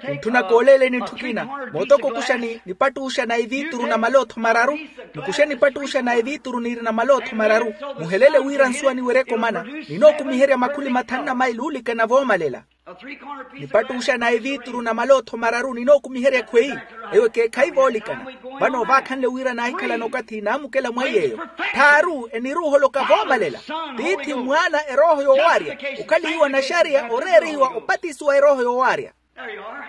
Kuntthuna kooleeleni etthu ekina. Mootoko okuxa ni nipattuxa na eviituru na malootho mararu. Nikuxe nipattuxa na eviituru niiri na malootho mararu. Muheleele wira nsuwa niwerya ekomana. Ninookumiherya makhuli mathanu na maili oolikana voomalela. Nipattuxa na eviituru na malootho mararu ninookumiherya ekhweyi. Eyo ekeekhayi voolikana. Vano vaakhanle wira naahikhalana okathi naamukela mwa iy'eyo. Tthaaru eniruuholoka voomalela. Tiithi, mwaana, erooho yoowaarya. Okhalihiwa naxariya oreerihiwa opatisiwa erooho yoowaarya. There you are.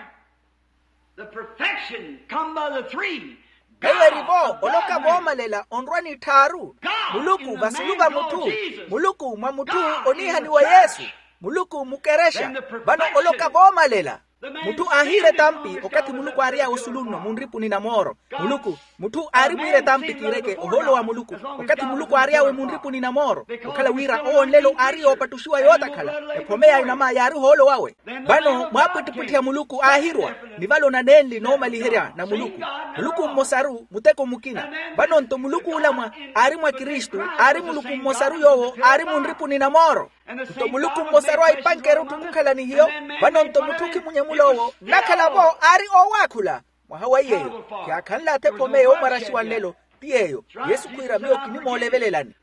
The perfection come by the three. Eyo eri vo oloka voomalela onrwa ni tthaaru. Muluku vasulu va mutthu. Muluku mwa mutthu oniihaniwa yesu. Muluku mukerexa. Vano oloka voomalela. Mutthu aahiira etampi okathi muluku aary'awe osulu nno munripuni na mooro. Muluku, mutthu aari mwiira etampi kiireke ohoolo wa muluku. Okathi muluku aary'awe munripuni na mooro, okhala wira owo nlelo aari yoopattuxiwa yootakhala. Ephome ya inama yaari ohoolo wawe. Vano mwaapwittipwitthi a muluku aahirwa. Ni vale onanenli noomaliherya na muluku. Muluku mmosaru muteko mukina. Vano nto muluku ula mwa aari mwa kristu, aari muluku mmosaru yoowo aari munripuni na mooro. Nto muluku mmosaru aipanke erutthu khukhala ni hiyo. Vano nto mutthu khimunyemula owo nnakhala-vo aari oowaakhula. Mwaha wa iy'eyo kyaakhanle athekhome yoomwaraxiwa nlelo. Ti yeeyo yesu khwiira miyo kinimoolevelelani.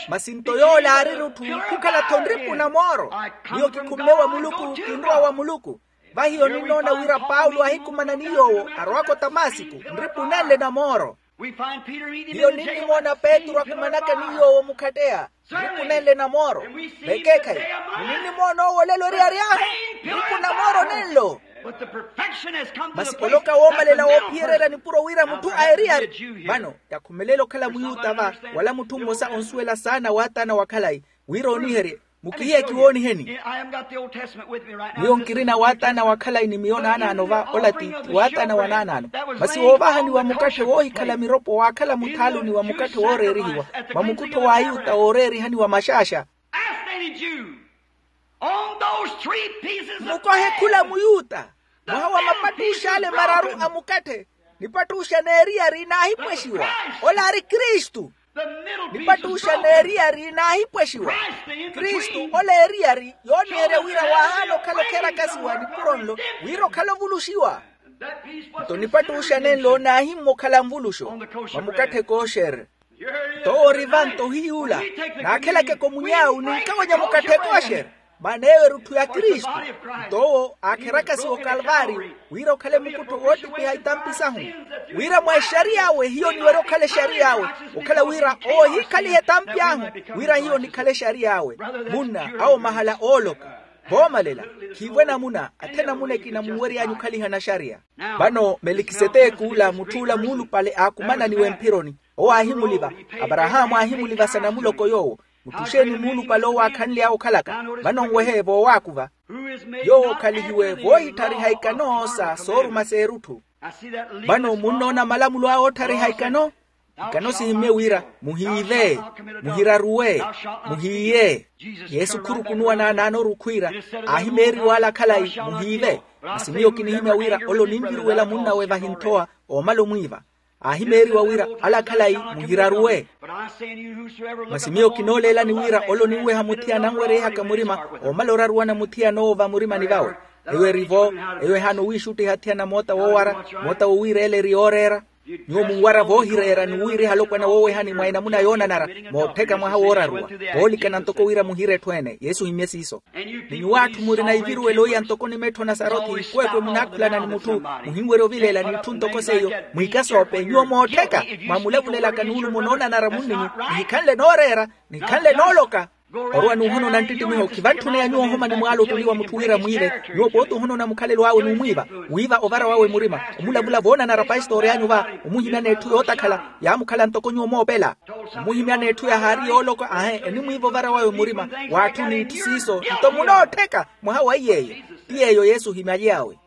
Masi nto yoola aari erutthu khukhala-tho nripu na mooro. Miyo kikhumme wa muluku kinrowa wa muluku. Vahiyo ninnoona wira paulo ahikumana ni yoowo arowaka otamasiku nripu nenle na mooro. Hiyo ninnimoona petru akumanaka ni yoowo mukhatteya nripu nenle na mooro. Vekeekhayi ninnimoona owo olelo eriyari ahu nripu na mooro nenlo. Masi oloka woomalela woophiyererya nipuro wira mutthu a eriyari. Vano yakhumelela okhala muyuta va wala mutthu mmosa onsuwela saana waataana wa khalayi wira ooniherye. Mukihiye kiwooniheni. Miyo nkirina waataana wa khalayi ni miyo naanaano va ola ti waataana wa naanaano. Masi woovahaniwa mukatthe woohikhala miropo waakhala muthaaluni wa mukatthe wooreerihiwa mwa mukuttho w'ayuta wooreerihaniwa maxaaxa. Mukohe khula muyuta mwaha wa mapattux'ale mararu a mukatthe. Nipattuxa n'eriyari naahipwexiwa ola aari kristu. Nipattuxa n'eriyari naahipwexiwa kristu ola eriyari yooniherya wira waahaana okhala okherakasiwa nipuro nlo wira okhala ovuluxiwa. Nto nipattuxa nenlo naahimmwa okhala nvuluxo mwa mukatthe kooxer. Nto owo ori vanto ohiyuula naakhelakeke omuny'awu ninkawanya mukatthe kooxer. Maana eyo erutthu ya kristu. Nto owo aakherakasiwa okalvaariyo wira okhale mukuttho woottipiha itampi sahu. Wira mwa exariy'awe hiyo niwerya okhala exariy'awe okhala wira owo ohiikhaliha etampi ahu wira hiyo nikhale exariy'awe. Munna awo mahala ooloka voomalela. Khiivo enamuna athe enamuna ekina munwery'anyu okhalihana axariya. Vano melikiseteki ula mutth'ula muulupale aakumananiwe mphironi. Owo aahimuliva aparahaamu aahimulivasa namuloko yoowo. Mutthu xeeni muulupale owo aakhanly'awe okhalaka? Vano nwehe voowaakuva yoowo okhalihiwe voohitthariha ikano sa sooruma s'erutthu. Vano munnoona malamulo awe ootthariha ikano. Ikano sihimmye wira muhiive, muhiraruwe, muhiiye. Yesu khurukunuwa naanaanoru okhwiira aahimeeriwa ala khalayi muhiive. Masi miyo kinihimya wira ole oninviruwela munn'awe vahi nthowa oomala omwiiva. Aahimeeriwa wira ala khalayi muhiraruwe. Masi miyo kinooleelani wira ole oninweha muthiya ananwereihaka murima oomala oraruwana muthiya anoowo vamurimani vawe. Eyo eri-vo eyo ehaana owiixuttiha thiyana moota woowara moota wowiireela eri yooreera. Nyuwo munwara voohireera ni wiiriha alopwana woowehani mwa enamuna yoonanara moottheka mwaha wooraruwa. Voolikana ntoko wira muhire etthu ene yesu ohimmye siiso. Ni nyuwo atthu murina iviruwelo iya ntoko nimettho na sarothi ikweekwe munaakhulana ni mutthu muhinwerya ovileela n'itthu ntoko seiyo. Mwiikasoope nyuwo moottheka mwamulavulelaka nuulumo noonanara munninyu nihikhanle nooreera nihikhanle nooloka. Orwa n'uhonona nttitimiho khivantthune ya nyuwo ohoma ni mwaala ottuli wa mutthu wira mwiive. Nyuwo pooti ohonona mukhalelo awe n'umwiiva, wiiva ovara wawe murima, omulavula voonanara paisitoori anyu va, omuhimyana etthu yootakhala, yaamukhala ntoko nyuwo moopela. Omuhimyana etthu yahaari yooloka ahe enimwiiva ovara wawe murima, w'atthu n'itthu siiso nto munoottheka. Mwaha wa iy'eyo, ti yeeyo yesu ohimyaly'awe.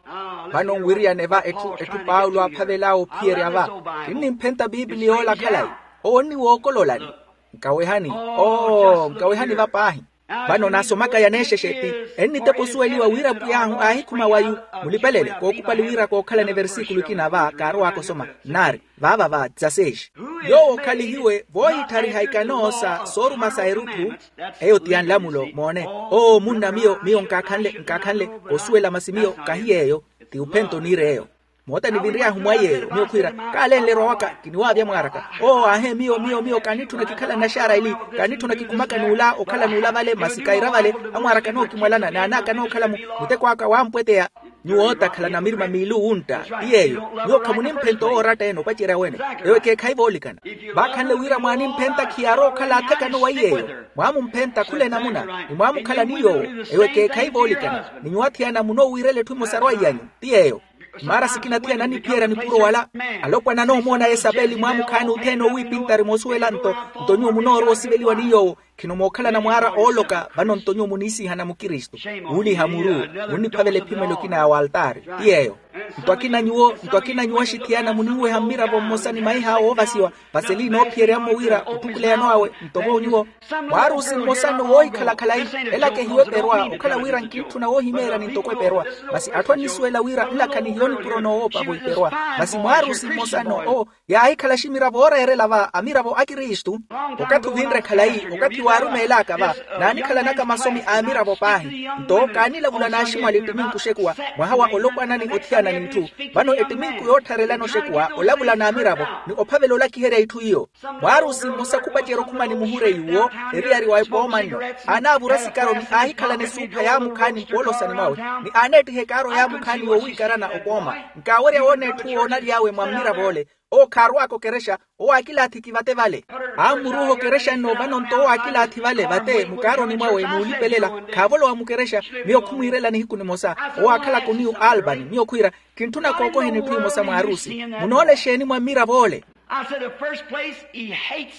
Vano nwiriyane va etthu etthu paulo aaphavel'awe ophiyerya va, kinnimphenta piipili yoola khalayi. Owo nniwookololani. Nkawehani, oo nkawehani va paahi. Vano naasomaka yaneexexe ti, ennitepa osuweliwa wira pwiy'ahu aahikhuma wayu. Mulipelele kookupali wira kookhalana eversikulu ekina va kaarowaaka osoma, nnaari vaava va dzaseexi. Yoowo okhalihiwe voohitthariha ikano sa sooruma sa erutthu. Eyo ti ya nlamulo moone. Oo munna miyo miyo nkaakhanle nkaakhanle osuwela masi miyo kahi yeeyo. Ti uphento niir'eyo. Moota nivinry'ahu mwa yeeyo miyo khwiira, kaalenle erwa waka kiniwaavya mwaaraka. Oo aahe miyo miyo miyo kaanitthuna kikhala nnaxaara eli, kaanitthuna kikhumaka n'ula okhala n'ula vale masi kaira vale. Amwaaraka nookimwalana n'anaaka nookhala-mu muteko aka wampweteya. Nyuwo ootakhala na mirima miili owuntta. Ti yeeyo nyuwo khamunimphenta owooratta ene opacerya wene. Ewo ekeekhayi voolikana. Vaakhanle wira mwaanimphenta khiyaarowa okhala athekano wa iy'eyo. Mwaamumphenta khula enamuna ni mwaamukhala ni yoowo. Ewo ekeekhayi voolikana. Ni nyuwo athiyana munoowiirela etthu emosa arwayi anyu. Ti yeeyo. Maara sikina athiyana aniphiyerya nipuro wala. Alopwana anoomoona yesapeli mwaamukhaani othene owiipintari moosuwela nto, nto nyuwo munoorowa osiveliwa ni yoowo. Khino mookhalana mwaara ooloka vano nto nyuwo muniisihana mukristu. Wuuliha muru. Munniphavela ephimelo ekina ya waltaari. Ti yeeyo. Nto akina nyuwo nto akina nyuwo axithiyana muniweha mmiravo mmosa ni maih'awe oovasiwa. Vaseli noophiyerya-mo wira otthukuleyano awe nto vo nyuwo. Mwaarusi mmosa nno woohikhala khalayi. Ela kehiwe eperwa okhala wira nkintthuna woohimeeryani ntoko eperwa. Masi atthu annisuwela wira nlakha nihiyo nipuro noowoopa vo iperwa. Masi mwaarusi mmosa nno oo yaahikhala aximiravo ooreerela va amiravo a kristu. Okathi ovinre khalayi okathi waarumeel'aka va. Naanikhalanaka masomi a amiravo paahi nto kaanilavula n'aximwali ettiminku oxekuwa. Mwaha wa olopwanani othiyana n'itthu. Vano ettiminku yoottharelana oxekuwa olavula n'amiravo ni ophavela olakiherya itthu iyo. Mwaarusi mmosa khupacerya okhumani muhureyi uwo eriyari wa epooma nno. Aanaavura sikaro ni aahikhalana esuupha yaamukhaani mpoolosani mwawe ni aaneettiha ekaaro yaamukhaani yoowiikarana opooma. Nkaawerya woona etthu woonaly'awe mwa mmirav'ole. Owo khaarwaaka okerexa. Owo aakilaathi kivate vale. Aammuruuha okerexa nno vano nto owo aakilaathi vale vate mukaaroni mwawe n'ulipelela. Khaavolowa mukerexa. Miyo khumwiirela nihiku nimosa. Owo aakhalaka oniyu albany miyo khwiira, kintthuna kookoheni etthu emosa mwaarusi. Munoola exeeni mwa mmirav'ole?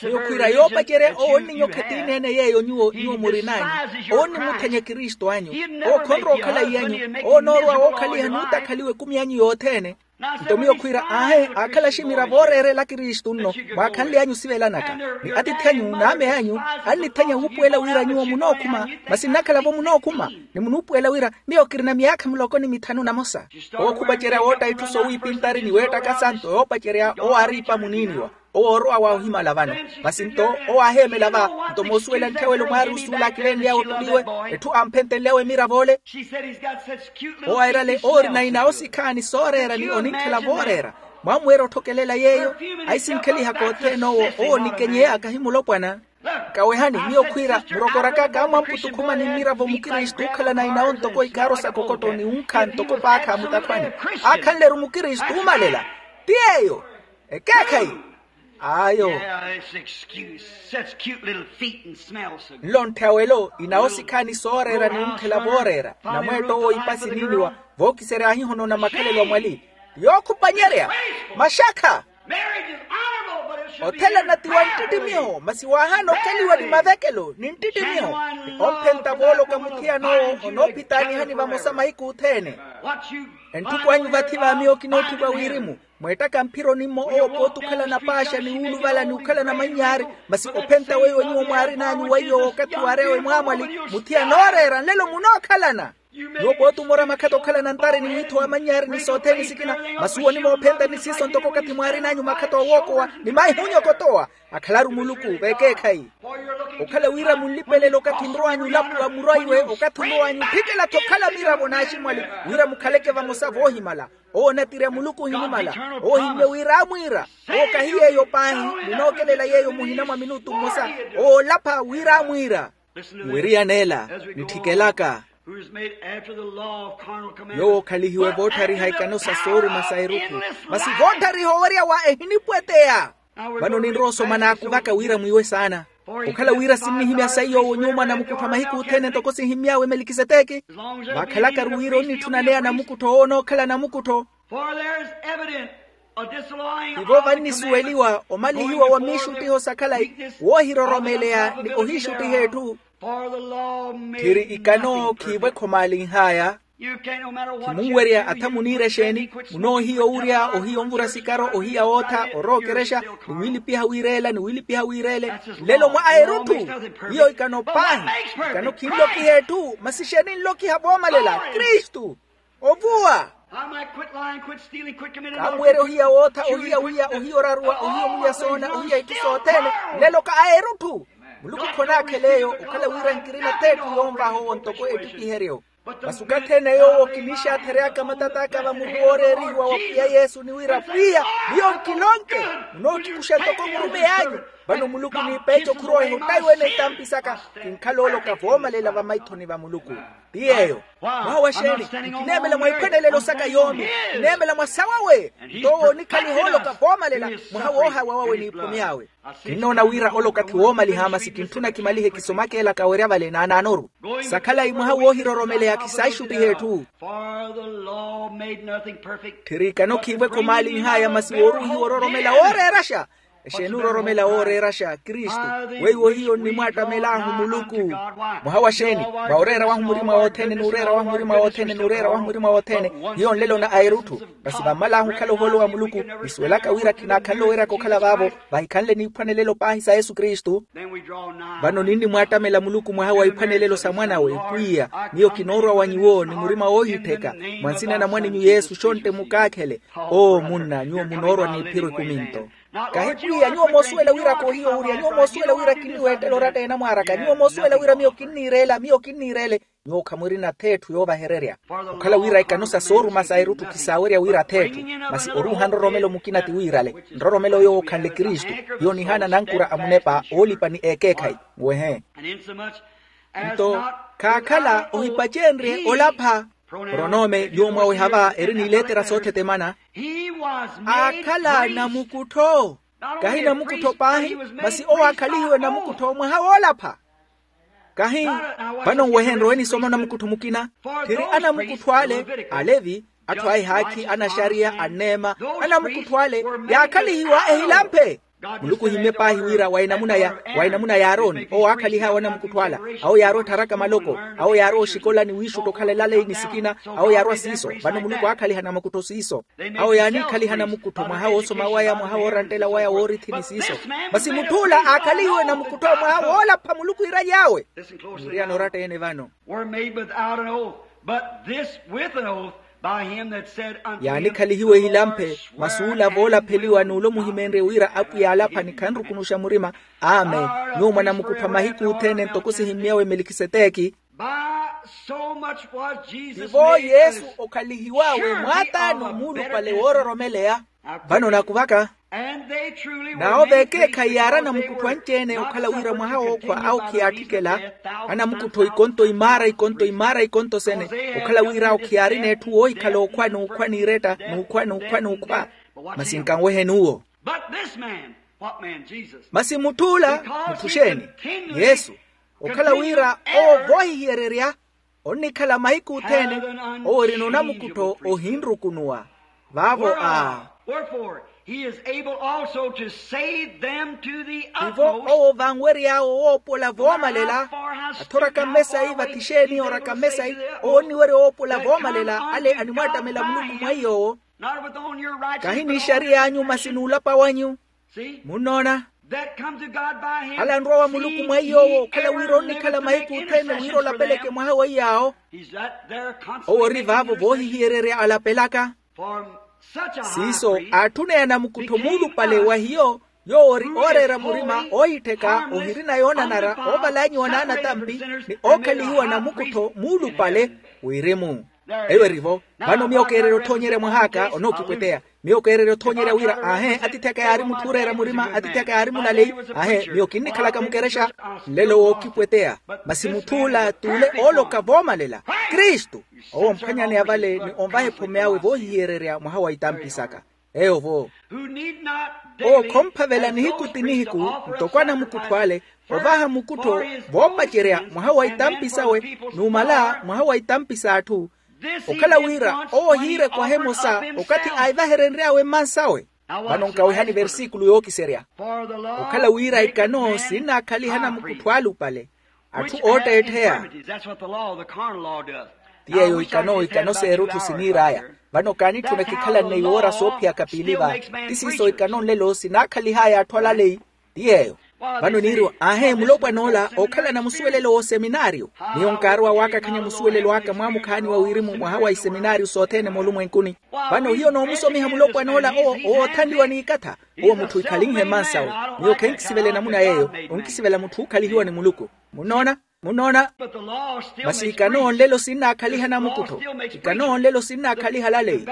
Miyo khwiira yoopacerya owo onninyokha etiini ene yeeyo nyuwo nyuwo murin'anyu. Owo onnimuthenya ekristu anyu. Owo khonrowa okhala iy'anyu. Owo onoorowa wookhaliha n'utakhaliwa ekumi anyu yothene. Nto miyo khwiira aahe aakhala aximiravo ooreerela akristu nno mwaakhanly'anyu osivelanaka. Ni atiithi anyu n'ame anyu annithenya wuupuwela wira nyuwo munookhuma. Masi nnakhala-vo munookhuma ni munuupuwela wira miyo kirina myaakha muloko ni mithanu namosa. Owo khupacerya wootta itthu soowiipintari ni weettaka santo yoopacerya owo aari ipa muniiniwa. Owo oorowa wa ohimala vano. Masi nto owo aaheemela va nto moosuwela ntthawelo mwaarusi ula akilenly'awe ottuli iwe etthu amphentenly'awe emirav'ole. Owo airale owo orina inawo sikhaani sooreera ni oninkhala vooreera. Mwamweera otthokelela yeeyo. Ahisinkheliha kothene owo owo onikenyeya kahi mulopwana. Nkawehani miyo khwiira murokoraka kaamwamputukhuma ni mmiravo mukristu ookhalana inawo ntoko ikaaro sa kokoto ni wunkha ntoko paakha mutakhwani. Aakhanle-ru mukristu uumalela. Ti yeeyo. Ekeekhayi. Ayo. Nlo ntthawelo inawo sikhaani sooreera ni wunkhela vooreera namweetto owo ipa siniiniwa. Vookiserya aahihonona makhalelo a mwali. Yookhupanyerya. Maxakha. Othelana ti wa nttittimiho masi waahaana okeliwa ni mavekelo ni nttittimiho. Ni omphenta vooloka muthiyana owo onoophitaanihani vamosa mahiku othene. Entthukwaanyu vathi va miyo kinootthukwa wirimu. Mweettaka mphiro nimmo owo pooti okhalana paaxa ni wuuluvala ni okhalana manyaari. Masi ophenta weiwo nyuwo mwaarin'anyu weiwo wookathi waareya wemwaamwali muthiyana ooreera nlelo munookhalana. Nyuwo pooti omora makhatta okhalana ntari ni wiitho wa manyaari ni sothene sikina. Masi uwo onimoophenta ni siiso ntoko okathi mwaarin'anyu makhatta owookowa ni maihunya okotowa. Akhalaru muluku v'ekeekhayi. Okhala wira munlipelele okathi nrow'anyu olapuwa murwa iwe okathi nrow'anyu ophikela-tho okhala miravo n'aximwali wira mukhaleke vamosa voohimala. Owo onatirya muluku ohinimala. Owo ohimmye wira amwiira. Owo kahi yeeyo paahi. Munookelela yeeyo muhina mwa minutu mmosa. Owo olapha wira amwiira. Nwiriyaneela nitthikelaka. Yoowo okhalihiwe voottariha ikano sa sooruma sa eruku. Masi voottariha owerya wa ehinipweteya. Vano ninrowa osoma n'akuvaka wira mwiiwe saana. Okhala wira sinnihimya saiy'owo nyuuma namukuttho a mahiku othene ntoko sihimmy'awe melikiseteki. Vakhalakaru wira onnitthuna neya namukuttho owo onookhala namukuttho. Tivo vannisuweliwa omalihiwa wa miixuttiho sa khalayi, woohiroromeleya ni ohiixuttiha etthu. Tthiri ikano khiivo-ekho maalinh'aya. Khimunwerya atha muniira exeeni, munoohiya owurya, ohiya onvura sikaro, ohiya ootha, orowa okerexa, ni wiilipiha wiireela ni wiilipiha wiireele. Nlelo mwa aerutthu, hiyo ikano paahi. Ikano khinlokiha etthu masi exeeni nlokiha voomalela kristu. Ovuwa. Kaamuwerya ohiya wootha, ohiya wiya, ohiya oraruwa, ohiya omulya soona, ohiya itthu sothene. Nlelo ka aerutthu. Muluku khonaakhela eyo okhala wira nkirina t'etthu yoonvaha owo ntoko ettikiheryo. Masi okathi ene yoowo kiniixaathery'aka matat'aka va muru wooreerihiwa wa pwiya yesu ni wira pwiya, miyo nkilonke, munookikusha ntoko murumeyi anyu. Vano muluku niipeeca okhurowa ehottaiwe n'etampi saka. Kinkhala ooloka voomalela vamaithoni va muluku. Ti yeeyo. Mwaha wa xeeni? Nkineemela mwa iphwanelelo saka yoomi. Nkineemela mwa sawawe. Nto owo onikhaliha ooloka voomalela. Mwaha woohawa wawe n'iphomy'awe. Kinnoona wira ole okathi woomaliha masi kintthuna kimalihe kisomaka elaka werya vale naanaanoru. Sakhalayi mwaha woohiroromeleya khisaaxuttiha etthu. Tthiri ikano khiivo-ekho maalinh'aya masi wooruuhiwa ororomela wooreeraxa. Exeeni ororomela wooreeraxa kristu? Weiwo hiyo nnimwaattamel'ahu muluku. Mwaha wa xeeni? Va oreera wahu murima wothene n'ureera wahu murima wothene n'ureera wahu murima wothene. Hiyo nlelo na aerutthu. Masi vammal'ahu okhala ohoolo wa muluku, nisuwelaka wira khinaakhanle oweryaka okhala vaavo. Vahikhanle n'iphwanelelo paahi sa yesu kristu. Vano ninnimwaattamela muluku mwaha wa iphwanelelo sa mwan'awe pwiya. Miyo kinoorwa wa nyuwo ni murima woohittheka, mwa nsina na mwan'inyu yesu xontte mukaakhele. Oo munna nyuwo munoorwa n'iphiro ikuminto. Kahi pwiya nyuwo moosuwela wira koohiya owurya nyuwo moosuwela wira kinniweettela oratta enamwaar'aka nyuwo moosuwela wira miyo kinniireela miyo kinniireele. Nyuwo khamwirina th'etthu yoovahererya. Okhala wira ikano sa sooruma sa erutthu khisaawerya wira th'etthu. Masi oruuha nroromelo mukina ti wiirale. Nroromelo yoowo okhanle kristu. Hiyo nihaana nankura a munepa oolipa ni ekeekhayi. Wehe. Nto khaakhala ohipacenrye olapha. Pronome nyuwo mwaweha va eri n'iletera soothetemana. Aakhala namukuttho. Kahi namukuttho paahi, masi owo aakhalihiwe namukuttho mwaha woolapha. Kahi. Vano nwehenrye owenisoma namukuttho mukina. Tthiri anamukuttho ale, alevi, atthu a ehaakhi anaxariya anneema, anamukuttho ale yaakhalihiwa ehilamphe. Muluku ohimmye paahi wira wa enamuna ya, wa enamuna ya aaroni owo aakhalih'awe anamukuttho ala. Awo yaarowa ettharaka maloko. Awo yaarowa oxikola ni wiixutta okhala elaleyi ni sikina. Awo yaarowa siiso. Vano muluku aakhaliha namukuttho siiso. Awo yaaniikhaliha namukuttho mwaha woosoma waya mwaha wooranttela waya woorithi ni siiso. Masi mutth'ula aakhalihiwe namukuttho mwaha woolapha muluku iiraly'awe. Niriyana oratta ene vano. Were made without an oath, but this with an oath by him that said unto him, yaanikhalihiwe ehilamphe. Masi ula voolapheliwa n'ule omuhimeenrye wira apwiya alapha ni khanrukunuxa murima. Amen. Nyuwo mwanamukuttho a mahiku othene ntoko sihimmy'awe melikiseteki. By so much was Jesus tivo made yesu as okhalihiw'awe mwaataani omuulupale woororomeleya. Vano nakuvaka. Naawo veekeekhayi yaari anamukuttho anci-ene okhala wira mwaha wookhwa awo khiyaatthikhela. Anamukuttho ikonto imaara ikonto imaara ikonto sene. Okhala wira awo khiyaarina etthu woohikhala okhwa n'ukhwa n'iretta n'ukhwa n'ukhwa n'ukhwa. Masi nkanweheni uwo. Masi mutth'ula mutthu xeeni? Yesu. Okhala wira owo voohihiyererya onnikhala mahiku othene. Owo orina onamukuttho ohinrukunuwa. Vaavo a. Wherefore he is able also to save them to the tivo utmost. Owo vanwery'awe woopola voomalela. Athoraka mmesayi vathi xeeni oraka mmesayi? Owo onniwerya woopola voomalela ale animwaattamela muluku mwa iy'owo. Kahi n'ixariy'anyu masi n'ulapa wanyu. Munnoona? Ala anrowa wa muluku mwa iy'owo okhala wira onnikhala mahiku othene wira olapeleke mwaha wa iy'awo. Owo ori vaavo voohihiyererya alapelaka. Siiso aatthuneya namukuttho muulupale wa hiyo yoowo ori ooreera murima oohittheka ohirina yoonanara oovalanyiwa n'anatampi ni ookhalihiwa namukuttho muulupale. Wirimu. Eyo erivo. Vano miyo keererya othoonyerya mwah'aka onookipweteya. Miyo keererya othoonyerya wira aahe atiithi aka yaari mutthu ooreera murima atiithi aka yaari mulaleyi. Aahe miyo kinnikhalaka mukerexa. Nlelo wookipweteya. Masi mutth'ula t'ule ooloka voomalela. Kristu. Owo omphwanyaneya vale ni onvaha ephome awe voohihiyererya mwaha wa itampi saka. Eyo vo. Owo khomphavela nihiku ti nihiku ntoko anamukuttho ale. Ovaha mukuttho, voopacerya mwaha wa itampi sawe, numala mwaha wa itampi s'atthu. Okhala wira owo ohiirekwaha emosa okathi aivaherenry'awe mmansawe. Vano nkawihani versikulu yookiserya. Okhala wira ikano sinnaakhaliha namukuttho alupale, atthu ootteettheya. Ti yeeyo ikano ikano s'erutthu siniir'aya. Vano kaanitthuna ekikhalanne yoora soophiyaka piili va. Ti siiso ikano nlelo sinaakhalihaaya atthu alaleyi. Ti yeeyo. Vano niiriwa, aahe mulopwan'ola ookhalana musuwelelo w'oseminaariyo. Miyo nkaarowa waakakhanya musuwelelo aka mwaamukhaani wa wirimu mwaha wa iseminaariyo sothene moolumwenkuni. Vano hiyo noomusomiha mulopwan'ola owo oothanliwa n'ikatha. Owo mutthu ikhalinhe mmansawe. Miyo khenkisivela enamuna yeeyo. Onkisivela mutthu ookhalihiwa ni muluku. Munnoona? Munnoona? Masi ikano nlelo sinnaakhaliha namukuttho. Ikano nlelo sinnaakhaliha alaleyi.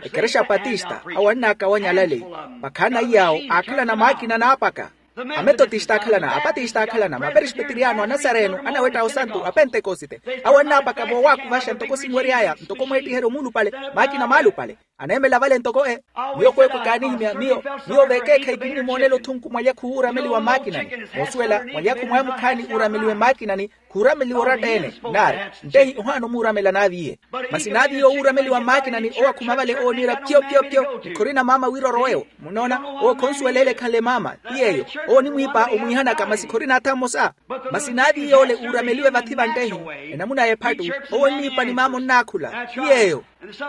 Ekerexa apatista awo annaakawanya alaleyi. Vakhaana iy'awo aakhalana maakina naapaka. Ametotista aakhalana apatista aakhalana maperespeteriano anasareno anawetta osantu apentekosite. Awo annaapaka voowakuvaxa ntoko sinwery'aya ntoko mweettiheryo muulupale. Maakina maalupale. Aneemela vale ntoko e. Miyo kweekwe kaanihimya miyo. Miyo veekeekhayi kinnimoonela othunku mwalyakhu wuurameliwa mmaakinani. Moosuwela mwalyakhu mwaamukhaani uurameliwe mmaakinani. Khuurameliwa oratta-ene. Naari, ntehi ohaana omuuramela naaviiye. Masi naaviiye owuurameliwa mmaakinani owo akhuma vale owo oniira pyo pyo pyo. Ni khorina maama wira orowewo. Munnoona? Owo khonsuwela ele ekhanle maama. Ti yeeyo. Owo onimwiipa omwiihanaka masi khorina atha mmosa. Masi naaviiye ole uurameliwe vathi vantehi. Enamuna y'ephattu. Owo onniipa ni maama onnaakhula. Ti yeeyo.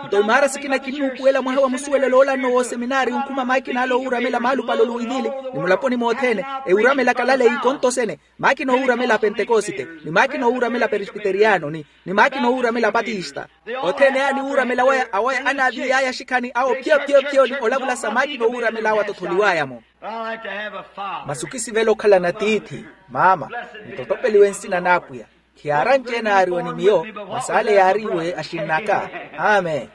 Nto imaara sikina kinnuupuwela mwaha wa musuwelelo oolanno w'oseminaari onkhuma maakina ale owuuramela maalupale oluwivili. Ni mulaponi mothene ewuramelaka alaleyi konto sene. Maakina owuuramela apentekosite, ni maakina owuuramela aperesbiteriyano ni maakina owuuramela apatista. Othene aya ni wuuramela waya awaya anaaviiy'aya axikhani awo pyo pyo pyo ni olavula sa maakina owuuramela awo atotholiw'aya-mo. Masi okisivela okhalana tiithi, maama. Nttotopeliwe nsina n'apwiya. Khiyaara anci-ene aariwe ni miyo. Masi ale yaariwe axinn'aka. Amen.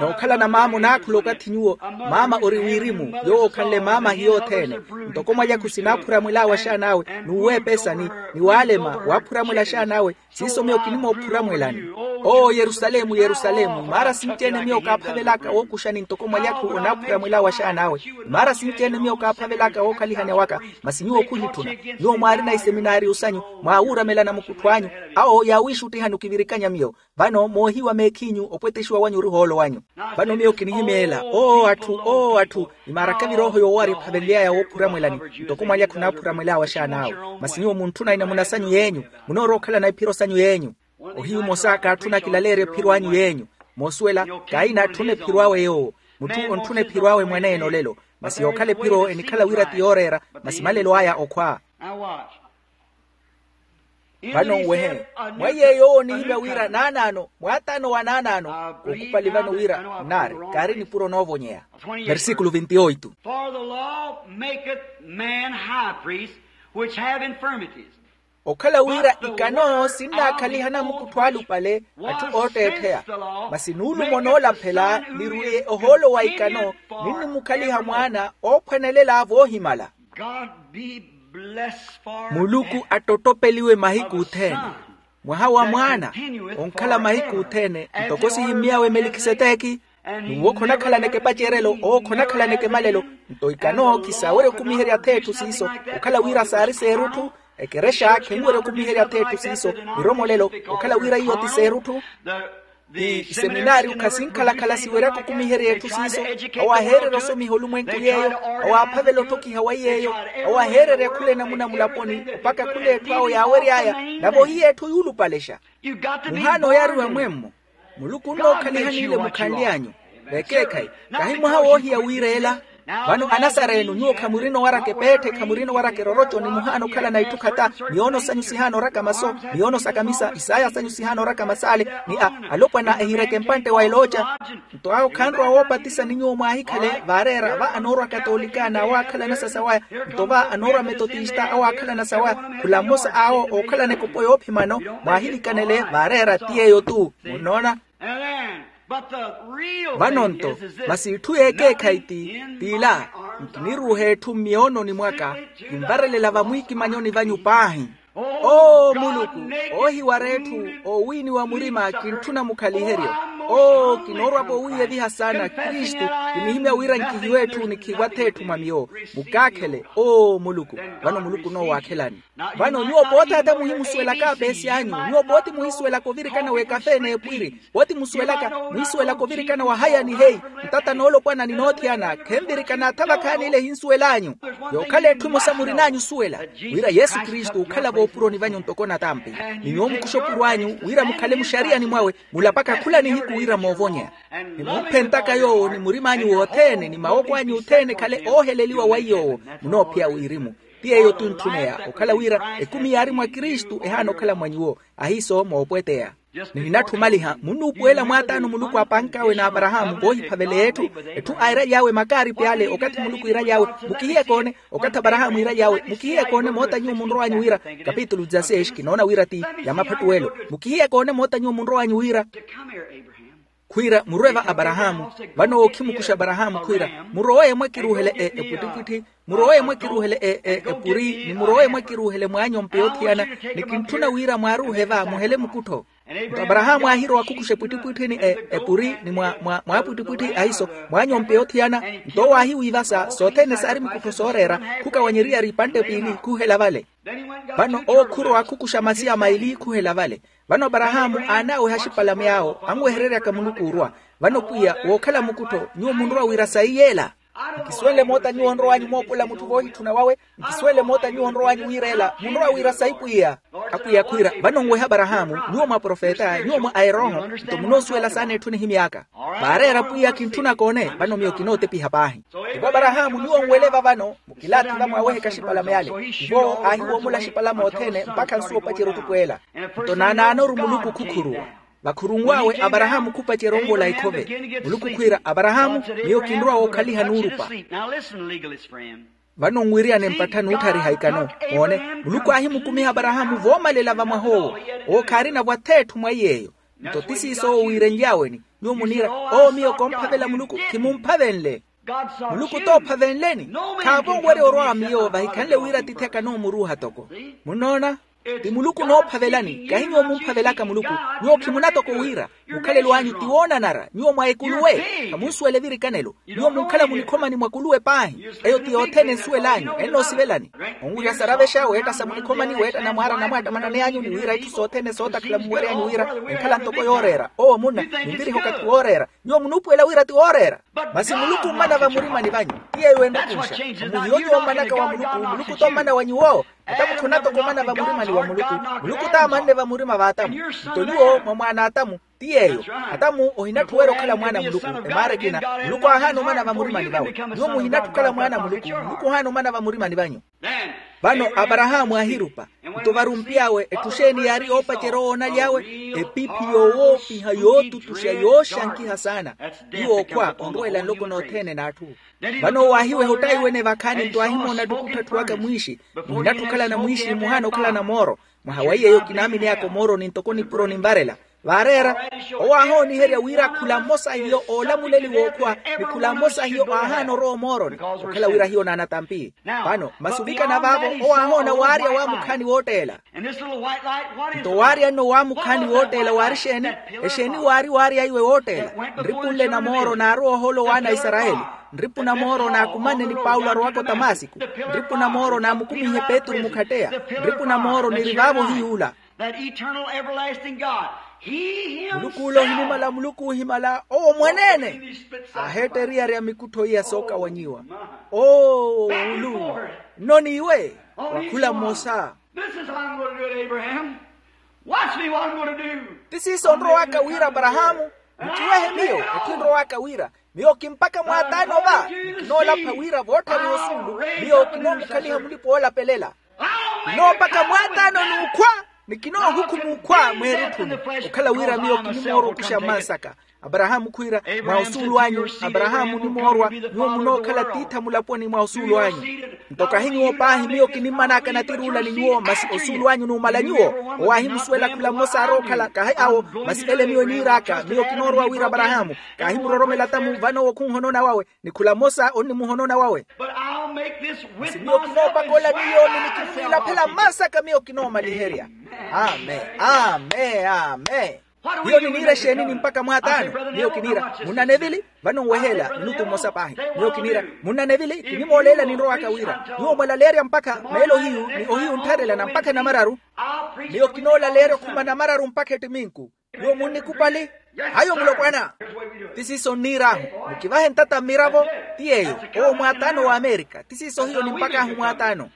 Nookhalana maama onaakhula okathi nyuwo. Maama ori wirimu yoowo okhanle maama ahiya othene. Ntoko mwalyakhu sinaaphuramwel'awe axaan'awe n'uweepesa ni waalema waaphuramwela axaan'awe. Siiso miyo kinimoophuramwelani. Oo yerusalemu yerusalemu imaara sinci-ene miyo kaaphavel'aka wookuxani ntoko mwalyakhu onaaphuramwel'awe axaan'awe. Imaara sinci-ene miyo kaaphavel'aka wookhalihani awaka. Masi nyuwo khuhitthuna. Nyuwo mwaarina iseminaariyo sanyu mwaawuuramelana mukuttho anyu. Awo yaawiixuttihani okivirikanya miyo. Vano moohiwa meekhinyu opwetexiwa wanyu ori ohoolo wanyu. Vano miyo kinihimeela oo atthu oo atthu. Imaaraka virooho yoowo ariphavenly'aya woophuramwelani. Ntoko mwalyakhu onaaphuramwel'awe axaan'awe. Masi nyuwo muntthuna inamuna sanyu y'enyu. Munoorowa okhalana iphiro sanyu y'enyu. Ohiyu omosa kaatthuna kilaleerya ephiro anyu y'enyu. Moosuwela kaina atthuna ephiro awe yoowo. Mutthu ontthuna ephiro awe mwaneene olelo. Masi yookhala ephiro enikhala wira ti yooreera. Masi malelo aya okhwa. Vano nwehe. Mwa yeeyo owo onihimya wira naanaano mwaataano wa naanaano. Okhupali vano wira nnaari. Kaari nipuro noovonyeya. Versikulu vintioitu. For the law maketh man high priests which have infirmities. Okhala wira ikano sinnaakhaliha namukuttho alupale atthu ootteettheya. Masi nuulumo noolaphela nirwiye ohoolo wa ikano. Ninnimukhaliha mwaana oophwanelela voohimala. Muluku attottopeliwe mahiku othene. Mwaha wa mwaana onkhala mahiku othene ntoko sihimmy'awe melikiseteki. N'uwo khonakhalaneke epacerelo owo khonakhalaneke emalelo. Nto ikano khisawerya okumiherya th'etthu siiso. Okhala wira saari s'erutthu ekerexa khinwerya okumiherya th'etthu siiso. Miromolelo okhala wira iyo ti s'erutthu. Ti iseminaariyo khasinkhalakhala siweryaka okumiherya etthu siiso. Awo aheererya osomiha olumwenku yeeyo. Awo aaphavela otthokiha wa yeeyo. Awo aheererya khula enamuna mulaponi opaka khula etthu awo yaawery'aya. Nave ohiya etthu yuulupalexa. Muhaana oyariwa mwemmo. Muluku onnookhalihaniile mukhanly'anyu. Vekeekhayi kahi mwaha woohiya wiireela. Vano anasareno nyuwo khamurina owaraka epeetthe khamurina owaraka eroroco ni muhaana okhalana itthu khata. Miyoono sanyu sihaana oraka maso. Miyoono sa kamisa isaaya sanyu sihaana oraka masaale. Ni a alopwana ehireke mpantte wa elooca. Nto awo khanrowa woopatisa ni nyuwo mwaahikhale vaareera va anoorwa katolika n'awo aakhalana sasawaya. Nto va anoorwa metotista awo aakhalana sawaya. Khula mmosa awo ookhalana ekopo yoophimano. Mwaahilikanele vaareera ti yeeyo-tu. Munnoona? Vano nto masi itthu y'ekeekhayi ti t'ila. Nkiniruuha etthu mmiyoononi mwaka kinvarelela vamwiikimanyoni vanyu paahi. Oo muluku oohiwara etthu oowiiniwa murima kintthuna mukhaliheryo. Oo, kinoorwa-vo wiiyeviha saana kristu. Kinihimya wira nkihiwe etthu nikhiiwa ath'etthu mwa miyo. Mukaakhele oo muluku. Vano muluku onoowaakhelani. Vano nyuwo pooti ata muhimusuwelaka apeesi anyu. Nyuwo pooti muhisuwelaka ovirikana w'ekafe n'epwiri. Pooti musuwelaka muhisuwelaka ovirikana wa haya ni heyi. Ntata noolopwana ni noothiyana khenvirikana atha vakhaani ile ehinsuwel'anyu. Yookhala etthu emosa murin'anyu osuwela wira yesu kristu ookhala voopuroni vanyu ntoko natampi. Ni nyuwo mukuxe opuro anyu wira mukhale muxariyani mwawe. Mulapaka khula nihiku wira moovonya. Ni mumphentaka yoowo ni murim'anyu wothene ni mawoko anyu othene ekhale ooheleliwa wa iy'owo. Munoophiya wirimu. Ti yeeyo ti ontthuneya okhala wira ekumi yaari mwa kristu ehaana okhala mwa nyuwo. Ahiiso moopweteya. Nihinatthumaliha munnuupuwela mwaataano muluku aapank'awe n'aparahaamu voohiphavele etthu. Etthu airaly'awe makaaripi ale okathi muluku iiraly'awe. Mukihiye koone. Okathi aparahaamu iiraly'awe mukihiye koone moota nyuwo munrow'anyu wira. Kapitulu dizasesi kinoona wira ti ya maphattuwelo. Mukihiye koone moota nyuwo munrow'anyu wira khwiira murwe va aparahaamu. Vano ookhimukuxa aparahaamu khwiira murowe mwakiruuhele e epwittipwitthi. Murowe mwakiruuhele e e epuri ni murowe mwakiruuhele mwaanyompe yoothiyana. Ni kintthuna wira mwaaruuhe va muhele mukuttho. Nto aparahaamu aahirowa khukuxa epwittipwitthi ni e epuri ni mwa mwa mwaapwittipwitthi ahiiso mwaanyompe yoothiyana. Nto owo aahiwiivasa sothene saari mukuttho sooreera. Khukawanyeriyari ipantte piili khuhela vale. Vano owo khurowa khukuxa masiya maili khuhela vale. Vano aparahaamu aanaaweha axipalame awo anwehereryaka muluku orwa. Vano pwiya wookhala mukuttho nyuwo munrowa wira sayi yeela. Nkisuwenle moota nyuwo onrow'anyu moopola mutthu voohitthuna wawe. Nkisuwenle moota nyuwo onrow'anyu wira ela munrowa wira sayi pwiya. Apwiya khwiira vano nwehe aparahaamu nyuwo mwa profeta nyuwo mwa aerooho. Nto munoosuwela saana etthu nihimy'aka. Vaareera pwiya kintthuna koone vano miyo kinootepiha paahi. Ivo aparahaamu nyuwo nwele vavano mukilaathi vamwaweheke axipalame ale. Ivo aahiwoomula axipalame othene mpakha nsuwa opacerya otukwela. Nto naanaanoru muluku khukhuruwa. Vakhurunw'awe aparahaamu khupacerya onvola ikhove. Muluku khwiira aparahaamu miyo kinrowa wookhaliha nuurupa. Vano nwiriyane mpattha nuutthariha ikano. Moone muluku aahimukumiha aparahaamu voomalela vamwah'owo. Owo khaarina-vo ath'etthu mwa iy'eyo. Nto ti siiso owo wiirenly'aweni. Nyuwo muniira owo miyo koomphavela muluku khimumphavenle. Muluku toomphavenleni. Khaavo owerya orwa miyo vahikhanle wira atiithi akana omuruuha toko. Munnoona? Ti muluku onoophavelani kahi nyuwo mumphavelaka muluku. Nyuwo khimunatoko wira mukhalelo anyu ti woonanara nyuwo mwa ekuluwe. Khamunsuwela evirikanelo. Nyuwo munkhala munikhomani mwa kuluwe paahi. Eyo ti yothene ensuwel'anyu ennoosivelani. Onwirya saravexa weetta sa munikhomani weetta namwaara namwaattamanani anyu ni wira itthu sothene sootakhala muweryanyu wira enkhala ntoko yooreera owo munna. Nimviriha okathi wooreera. Nyuwo munuupuwela wira ti wooreera. Masi muluku ommana vamurimani vanyu ti yeeyo enrukunxa. Muhiyo nyuwo ommanaka wa muluku muluku t'ommana wa nyuwo. Atamu khunatoko omana vamurimani wa muluku. Muluku t'amanne vamurima v'atamu. Nto nyuwo mwa mwaana atamu ti yeeyo. Atamu ohinatthuwerya okhala mwaana a muluku. Emaara ekina muluku aahaana omana vamurimani vawe. Nyuwo muhinatthu okhala mwaana a muluku muluku ohaana omana vamurimani vanyu. Vano aparahaamu aahirupa. Nto varumpi awe etthu xeeni yaari yoopacerya owoonaly'awe? Epiiphi yoowoopiha yootutuxa yooxankiha saana. Ti wookhwa onrweela nloko nothene n'atthu. Vano owo aahiweha ottaiwene vakhaani nto aahimoona attukutthu atthu aka mwiixi. Muhinatthu okhalana mwiixi muhaana okhalana mooro. Mwaha wa iy'eyo kinaamineyaka omooroni ntoko nipuro ninvarela. Vaareera owo aahooniherya wira khula mmosa hiyo oolamuleliwa okhwa ni khula mmosa hiyo aahaana orowa omooroni. Okhala wira hiyo naanatampi. Vano masi ovikana vaavo owo aahoona waarya waamukhaani wootteela. Nto waarya nno waamukhaani wootteela waari exeeni? Exeeni waari waarya iwe wootteela? Nripu nle na mooro naarowa ohoolo w'ana a isarayeli. Nripu na mooro naakumanne ni paulo arowaka otamasiku. Nripu na mooro naamukumihe petru mukhatteya. Nripu na mooro niri vaavo hiy'ula. Muluku ule ohinimala muluku ohimala owo mwaneene. Aaheetta eriyari ya mikuttho iya sookawanyiwa. Oo wulu. Nno n'iwe wa khula mmosa. This is how I'm going to do it, Abraham. Watch me what I'm going to do. Ti siiso onrowaka wira aparahaamu. Nkiwehe miyo etthu enrowaka wira. Miyo kimpaka mwaataano va. Nikinoolapha wira vootthariha osuulu. Miyo kinoomukhaliha mulipa oolapelela. Kinoopaka mwaataano n'ukhwa. Nikinoohukhuma ukhwa mweerutthuni. Okhala wira miyo kinimoorwa okuxa mmansaka. Aparahaamu khwiira mwa osuulu anyu. Aparahaamu onimoorwa. Nyuwo munookhala tiitha mulaponi mwa osuulu anyu. Nto kahi nyuwo paahi miyo kinimmanaka natir'ula ni nyuwo masi osuulu anyu numala nyuwo. Owo aahimusuwela khula mmosa aarookhala kahi awo. Masi ele miyo eniir'aka miyo kinoorowa wira aparahaamu. Kaahimuroromela tamu vano owo khunhonona wawe. Ni khula mmosa onnimuhonona wawe. Masi miyo kinoopaka ola miyo ni nikinimwiilaphela mmansaka miyo kinoomaliherya. Amen. Amen. Amen. Hiyo niniira exeeni ni mpakha mwaataano? Miyo kiniira munnanevili. Vano nweheela minutu mmosa paahi. Miyo kiniira munnanevili kinimooleela ninrowaka wira nyuwo mwalaleerya mpakha meelo hiyu ni ohiyu nttharelana mpakha namararu. Miyo kinoolaleerya okhuma namararu mpakha ettiminku. Nyuwo munnikupali? Hayo mulopwana. Ti siiso nniir'ahu. Mukivahe ntata mmiravo. Ti yeeyo. Owo mwaataano w'amerika ti siiso hiyo nimpak'ahu mwaataano.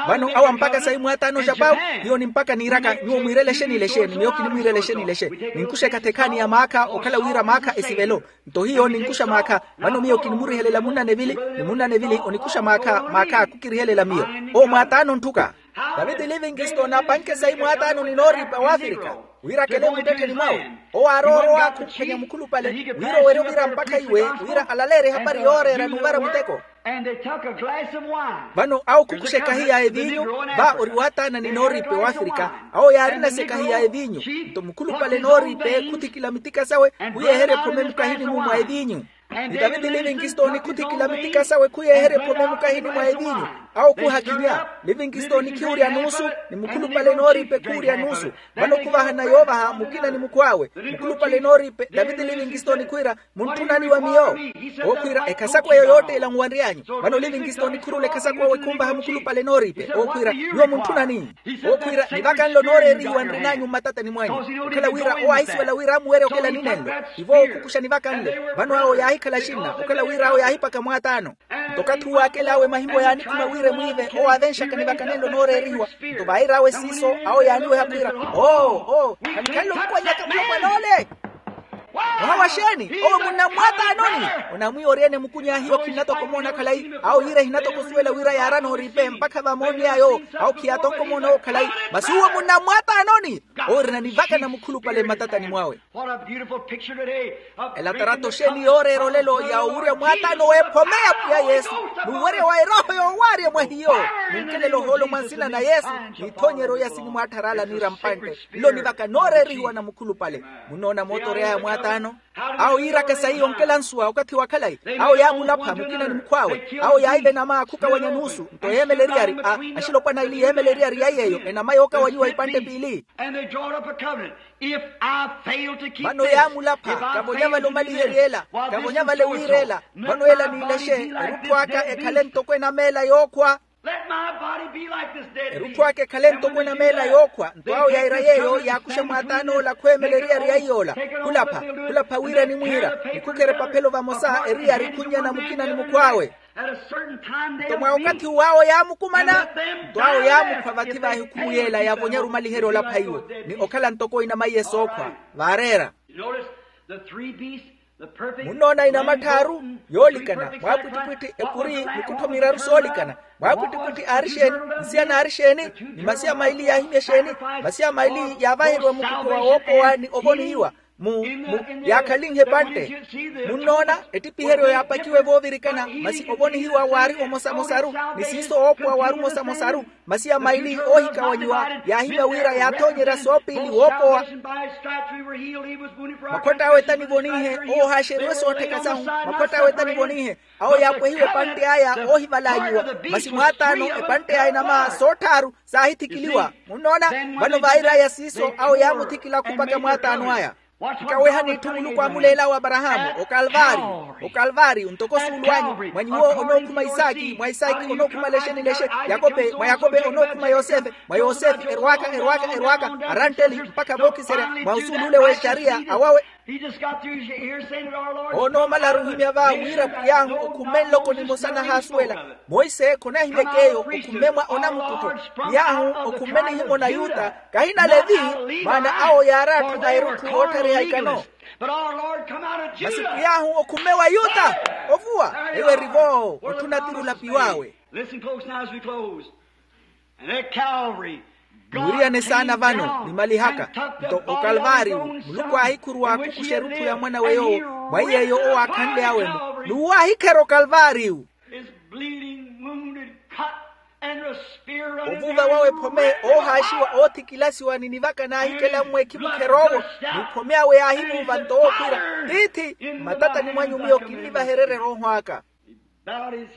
Vano awa mpakha sayi mwaataano xapawu. Hiyo nimpakha niiraka nyuwo mwiirele exeeni ile exeeni miyo kinimwiirele exeeni ile exeeni. Ninkuxa ekhathi ekhaani ya maakha okhala wira maakha esivelo. Nto hiyo ninkuxa maakha. Vano miyo kinimurihelela munnanevili ni munnanevili onikuxa maakha maakha kukirihelela miyo. Owo mwaataano ntthuka. Taviti livingisto naapanke sayi mwaataano ni nooriipa w'afirika wira akele muttettheni mwawe. Owo aarowa orowa khumphwanya mukhulupale wira owerye ovira mpakha iwe wira alaleerye ehapari yooreera n'uvara muteko. Vano awo khukhuxa ekahi ya eviinyu. Va ori waataana ni nooriipe w'afirika. Awo yaarinasa ekahi ya eviinyu. Nto mukhulupale nooriipe khuthikila mitika sawe khuyeeherya ephome mukahini-mu mwa eviinyu. Ni taviti livingisto nikhuthikila mitika sawe khuyeeherya ephome mukahini mwa eviinyu. Awo khuhakhinya livingisto nikhiwurya nuusu ni mukhulupale nooriipe khuwurya nuusu. Vano khuvahana yoovaha mukina ni mukhw'awe. Mukhulupale nooriipe taviti livingisto nikhwiira muntthunani wa miyo. Ookhwiira ekhasakweyo yootteela nwanry'anyu. Vano livingisto nikhurula ekhasakwewe khumvaha mukhulupale nooriipe ookhwiira nyuwo muntthunani. Ookhwiira nivaka nlo nooreerihiwa nrin'anyu mmatatani mwanyu. Okhala wira owo aahisuwela wira amuwerye okela ninenlo. Tivo ookhukuxa nivaka nlo. Vano awo yaahikhala axinna okhala wira awo yaahipaka mwaataano. Nto okathi uwo akel'awe mahimbo yaanikhuma wira emwiive owo aavenxaka nivaka nenlo nooreerihiwa. Nto vair'awe siiso awo yaaniweha khwiira oo oo khanikhanle omukwanyaka mulopwan'ole. Mwaha wa xeeni? Owo munnammwaataanoni. Onamwiiwa oryeene mukuny'ahiwa khinnatoka omoona khalayi. Awo yiira ehinatoka osuwela wira yaarana oriipe mpakha vamoonny'aya owo. Awo khiyaatonka omoona owo khalayi. Masi uwo munnammwaataanoni. Owo erinanivaka na mukhulupale mmatatani mwawe. Ela tarato xeeni yooreera olelo ya owurya mwaataano w'ephome ya pwiya yesu. N'uwerya wa erooho yoowaarya mwa hiyo. Ninkelela ohoolo mwa nsina na yesu. N'ithoonyeryo ya sinimwaatthar'ala niira mpantte. Nlo nivaka nooreerihiwa na mukhulupale. Munnoona mootory'aya mwaataano. Awo yiiraka sayi yonkela nsuwa okathi wa khalayi. Awo yaamulapha mukina ni mukhw'awe. Awo yaahiva enama khukawanya nuusu nto yeemela eriyari. Axilopwana ili yeemela eriyari ya yeeyo enama yookawanyiwa ipantte piili. Vano yaamulapha kavonya vale omaliherya ela. Kavonya vale wiira ela. Vano ela niilexe erutthu aka ekhale ntoko enama ela yookhwa. Erutthu aka ekhale ntoko enama ela yookhwa nto awo yaira yeeyo yaakuxa mwaataan'ola khweemela eriyari ya iy'ola. Khulapha khulapha wira enimwiira. Nikhukherya epaphelo vamosa eriyari khunnyana mukina ni mukhw'awe. Nto mwa okathi uwo awo yaamukumana. Nto awo yaamukhwa vathi vaahi khumuyela yaavonyaru omaliherya olapha iwo ni okhala ntoko inama iye sookhwa. Vaareera. Munnoona inama tthaaru yoolikana mwaapwittipwitthi ekuri mikuttho miraru soolikana. Mwaapwittipwitthi aari exeeni? Nsiyana aari exeeni? Ni masiya maili yaahimya exeeni? Masiya maili yaavaheriwa mukuttho wa woopowa ni ovonihiwa mu mu yaakhalinhe epantte. Munnoona ettipiheryo yaapakiwe voovirikana masi ovonihiwa waari omosamosaru. Ni siiso woopowa waari omosamosaru. Masiya maili oohikawanyiwa yaahimya wira yaathoonyerya soopiili woopowa. Makhwatt'awe tanivonihe owo ohaaxeriwe soottheka sahu. Makhwatt'awe tanivonihe awo yaapwehiwe epantte aya oohivalaanyiwa. Masi mwaataano epantte ya inama sootthaaru saahithikiliwa. Munnoona? Vano vair'aya siiso awo yaamuthikila khupaka mwaataano aya. Nkawehani itthu muluku aamuleel'awe aparahaamu okalvaariyu. Okalvaariyu ntoko osuulu anyu mwa nyuwo onookhuma isaaki mwa isaaki onookhuma lexe ni lexe. Yakope mwa yakope onookhuma yosefe mwa yosefe erwaka erwaka erwaka arantteli mpakha vookiserya mwa osuulu ole w'exariya awawe. Onoomalaru ohimya va wira pwiy'ahu okhumme nloko nimosa nahaasuwela. Monse khonahimyeke eyo okhumme mwa onamukuttho. Pwiy'ahu okhumme nihimona yuta kahina levi. Maana awo yaari atthu a erutthu ootthareha ikano. Masi pwiy'ahu okhumme wa yuta ovuwa eyo eri vo otthuna tiri olapi wawe. Mwiriyane saana vano nimalihaka. Nto okalvaariyu muluku aahikhuruwa akhukuxa erutthu ya mwan'awe yoowo mwa iy'eyo owo aakhanly'awe-mo. N'uwo aahikherya okalvaariyu. Ovuuva wawe ephome oohaaxiwa oothikilasiwa ni nivaka naahikela mmweekhi mukher'owo. Ni ephome awe yaahivuuva nto wookhwiira tiithi mmatatani mwanyu miyo kinnivahererya erooho aka.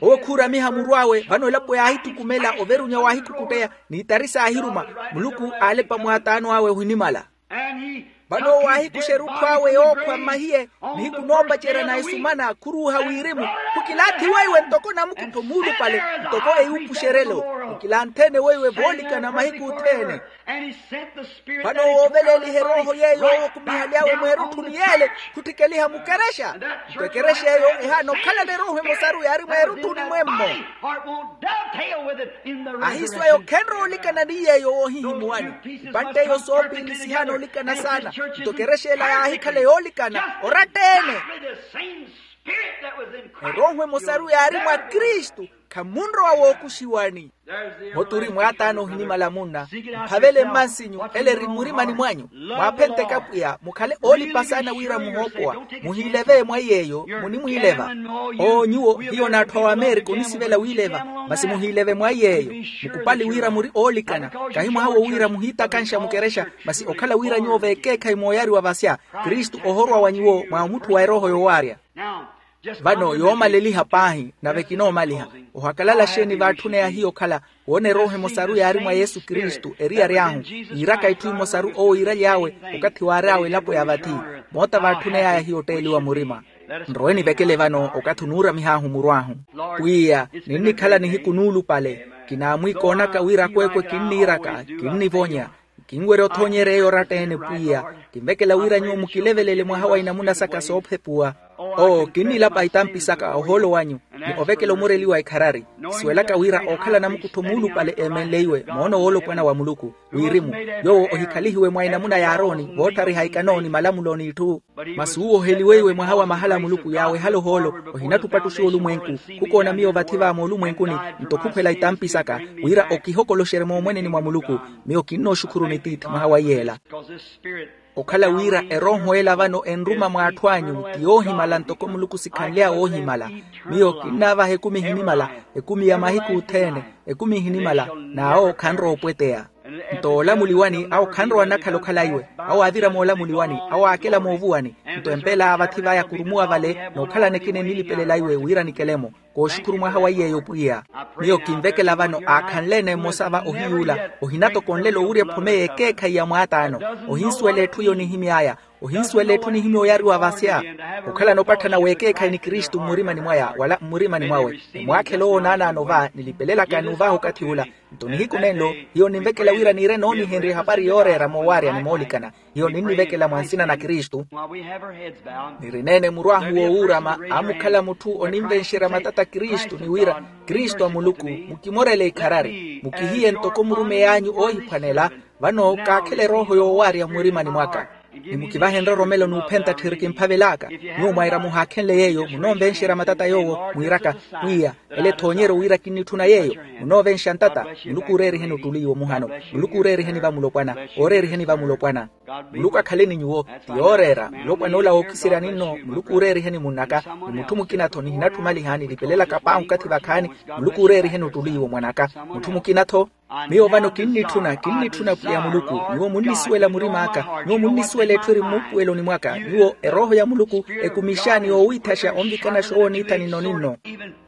Owo khuuramiha muru awe vano elapo yaahithukumela overunya waahikhukutteya n'itari saahiruma. Muluku aalepa mwaataano awe ohinimala. Vano owo aahikuxa erutthu awe yookhwa mmahiye, nihiku noopacerya na esumana khuruuha wirimu, khukilaathi weiwe ntoko namukuttho muulupale, ntoko eyuupuxerelo. Khukilantheene weiwe voolikana mahiku othene. Vano wooveleeliha erooho yeeyo owo khumihali awe mweerutthuni yeele, khutthikeliha mukerexa. Nto ekerexa eyo ehaana okhalana erooho emosaru yaari mweerutthuni mwemmo. Ahiiso eyo khenrowa olikana ni yeeyo woohihimuwani. Ipantte eyo soopiili sihaana olikana saana. Nto ekerexa ela yaahikhala yoolikana oratta-ene. Erooho emosaru yaari mwa kristu, khamunrowa wookuxiwani. Muturi mwaataana ohinimala munna, mphavele mmansinyu ele eri mmurimani mwanyu. Mwaaphenteke apwiya mukhale oolipa saana wira muhoopowa. Muhiileve mwa iy'eyo, munimwiileva. Oo nyuwo hiyo n'atthu a wameerika onisivela wiileva. Masi muhiileve mwa iy'eyo, mukupali wira muri oolikana. Kahi mwaha wo wira muhiitakanxa mukerexa, masi okhala wira nyuwo veekeekhayi mooyariwa vasya, kristu ohorwa wa nyuwo mwa omutthu wa erooho yoowaarya. Vano yoomaleliha paahi nave kinoomaliha. Ohakalala xeeni vaatthunaya hiyo okhala woona erooho emosaru yaari mwa yesu kristu eriyari ahu, yiiraka itthu emosaru owo yiiraly'awe okathi waary'awe elapo ya vathi. Moota vaatthunay'aya hiyo otteeliwa murima. Nrowe nivekele vano okathi onuuramih'ahu muru ahu. Pwiya, ninnikhala nihiku nuulupale. Kinaamwiikoonaka wira akweekwe kinniiraka, kinnivonya. Kinwerya othoonyerya eyo oratta-ene pwiya. Kinvekela wira nyuwo mukilevelele mwaha wa inamuna saka soophepuwa. Oo kinnilapa itampi saka ohoolo wanyu, ni ovekela omureliwa ekharari. Kisuwelaka wira ookhala namukuttho muulupale eemenleiwe moono woolopwana wa muluku, wirimu yoowo ohikhalihiwe mwa inamuna ya aaroni voottariha ikano ni malamulo n'itthu. Masi uwo oheliweiwe mwaha wa mahala a muluku yaawehala ohoolo. Ohinattupattuxiwa olumwenku, khukoona miyo vathi va moolumwenkuni, nto khukhwela itampi saka, wira okihokoloxerye moomweneni mwa muluku. Miyo kinnooxukhuruni tiithi mwaha wa iyeela. Okhala wira erooho ela vano enruma mw'atthu anyu ti yoohimala ntoko muluku sikhanly'awe oohimala. Miyo kinnaavaha ekumi ehinimala, ekumi ya mahiku othene, ekumi ehinimala. N'awo khanrowa opweteya. Nto oolamuliwani awo khanrowa annakhala okhala iwe. Awo aavira moolamuliwani, awo aakela moovuwani. Nto empeel'aya vathi vaya kurumuwa vale, n'okhalana ekina enilipelela iwe wira nikele-mo. Kooxukhuru mwaha wa iy'eyo pwiya. Miyo kinvekela vano aakhanle-ene mmosa va ohiyuula, ohinatokonlela owurya ephome y'ekeekhayi ya mwaataano. Ohinsuwela etthu iyo nihimy'aya. Ohinsuwela etthu nihimya oyariwa vasya. Okhalana opatthana w'ekeekhayi ni kristu mmurimani mwaya wala mmurimani mwawe, ni mwaakhela owo naanaano va nilipelelaka n'uvaha okathi ula. Nto nihiku nenlo, hiyo ninvekela wira niire noonihenrya ehapari yooreera moowaarya ni moolikana. Hiyo ninnivekela mwa nsina na kristu. Nirineene muru ahu woowuurama, amukhala mutthu oninvenxerya matata kristu ni wira, kristu a muluku, mukimorele ikharari mukihiye ntoko murumeyi anyu oohiphwanela. Vano kaakhela erooho yoowaarya mmurimani mwaka. Ni mukivahe nroromelo n'uphenta tthiri kimphavel'aka. Nyuwo mwaira muhaakhenle yeeyo munoonvenxerya matata yoowo, mwiiraka, pwiya, ele ethoonyeryo wira kinnitthuna yeeyo. Munoovenxa ntata, muluku ooreeriheni ottuli iwo muhano. Muluku ooreeriheni vamulopwana. Ooreeriheni vamulopwana. Muluku akhale ni nyuwo. Ti yooreera mulopwana ola wookiseryani nno muluku ooreeriheni munn'aka. Ni mutthu mukina-tho nihinatthumaliha nilipelelaka paahi okathi vakhaani. Muluku ooreeriheni ottuli iwo mwan'aka. Mutthu mukina-tho. Miyo vano kinnitthuna kinnitthuna pwiya muluku. Nyuwo munnisuwela murim'aka. Nyuwo munnisuwela etthu eri mmuupuweloni mwaka nyuwo erooho ya muluku. Ekumixaani yoowiithaxa onvikanaxa owo niitha ninno-ninno.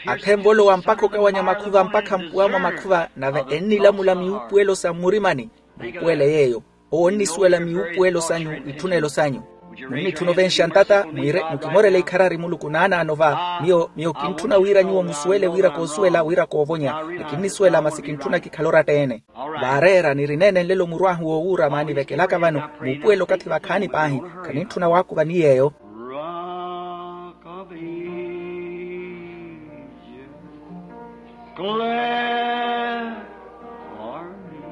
Akhenvolowa mpakha okawanya makhuva mpakha mpuwa mwa makhuva nave ennilamula miupuwelo sa mmurimani. Muupuwele yeeyo. Owo onnisuwela miupuwelo sanyu. Itthunelo sanyu. Munnitthuna ovenxa ntata mwire mukimorele ikharari muluku naanaano va. Miyo miyo kintthuna wira nyuwo musuwele wira koosuwela wira koovonya. Ni kinnisuwela masi kintthuna kikhale oratta-ene. Vaareera nirineene nlelo muru ahu woowuura maanivekelaka vano. Muupuwele okathi vakhaani paahi. Khanintthuna waakuva ni yeeyo. Rock of Ages, glad for me.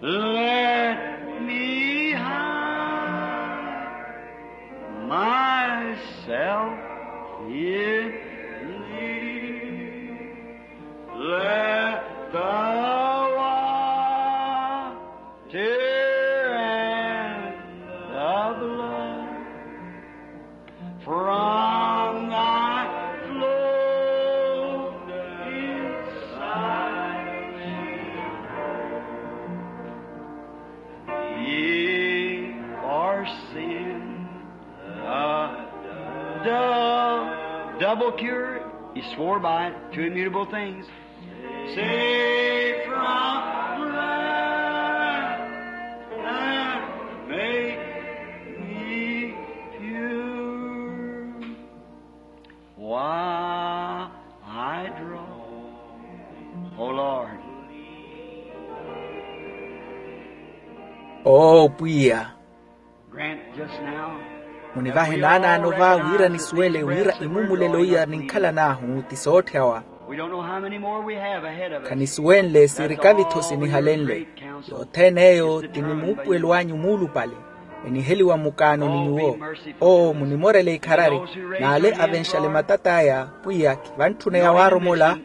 Let me hide myself in thee. Let the water and the blood from thy flow inside me. Ye for sin, the dove, double cure, he swore by it, two immutable things. Save from wrath and Oo pwiya, grant just now, munivahe naanaano va wira nisuwele wira imumulelo iya ninkhalan'ahu ti sootthawa. We don't know how many more we have ahead of us. Khanisuwenle sirikavitho sinihalenle. Yothene eyo ti ni muupuwelo anyu muulupale. Eniheliwa mukaano ni nyuwo. Oo munimorele ikharari, n'ale avenxale matat'aya pwiya khivantthuna yawaaromola.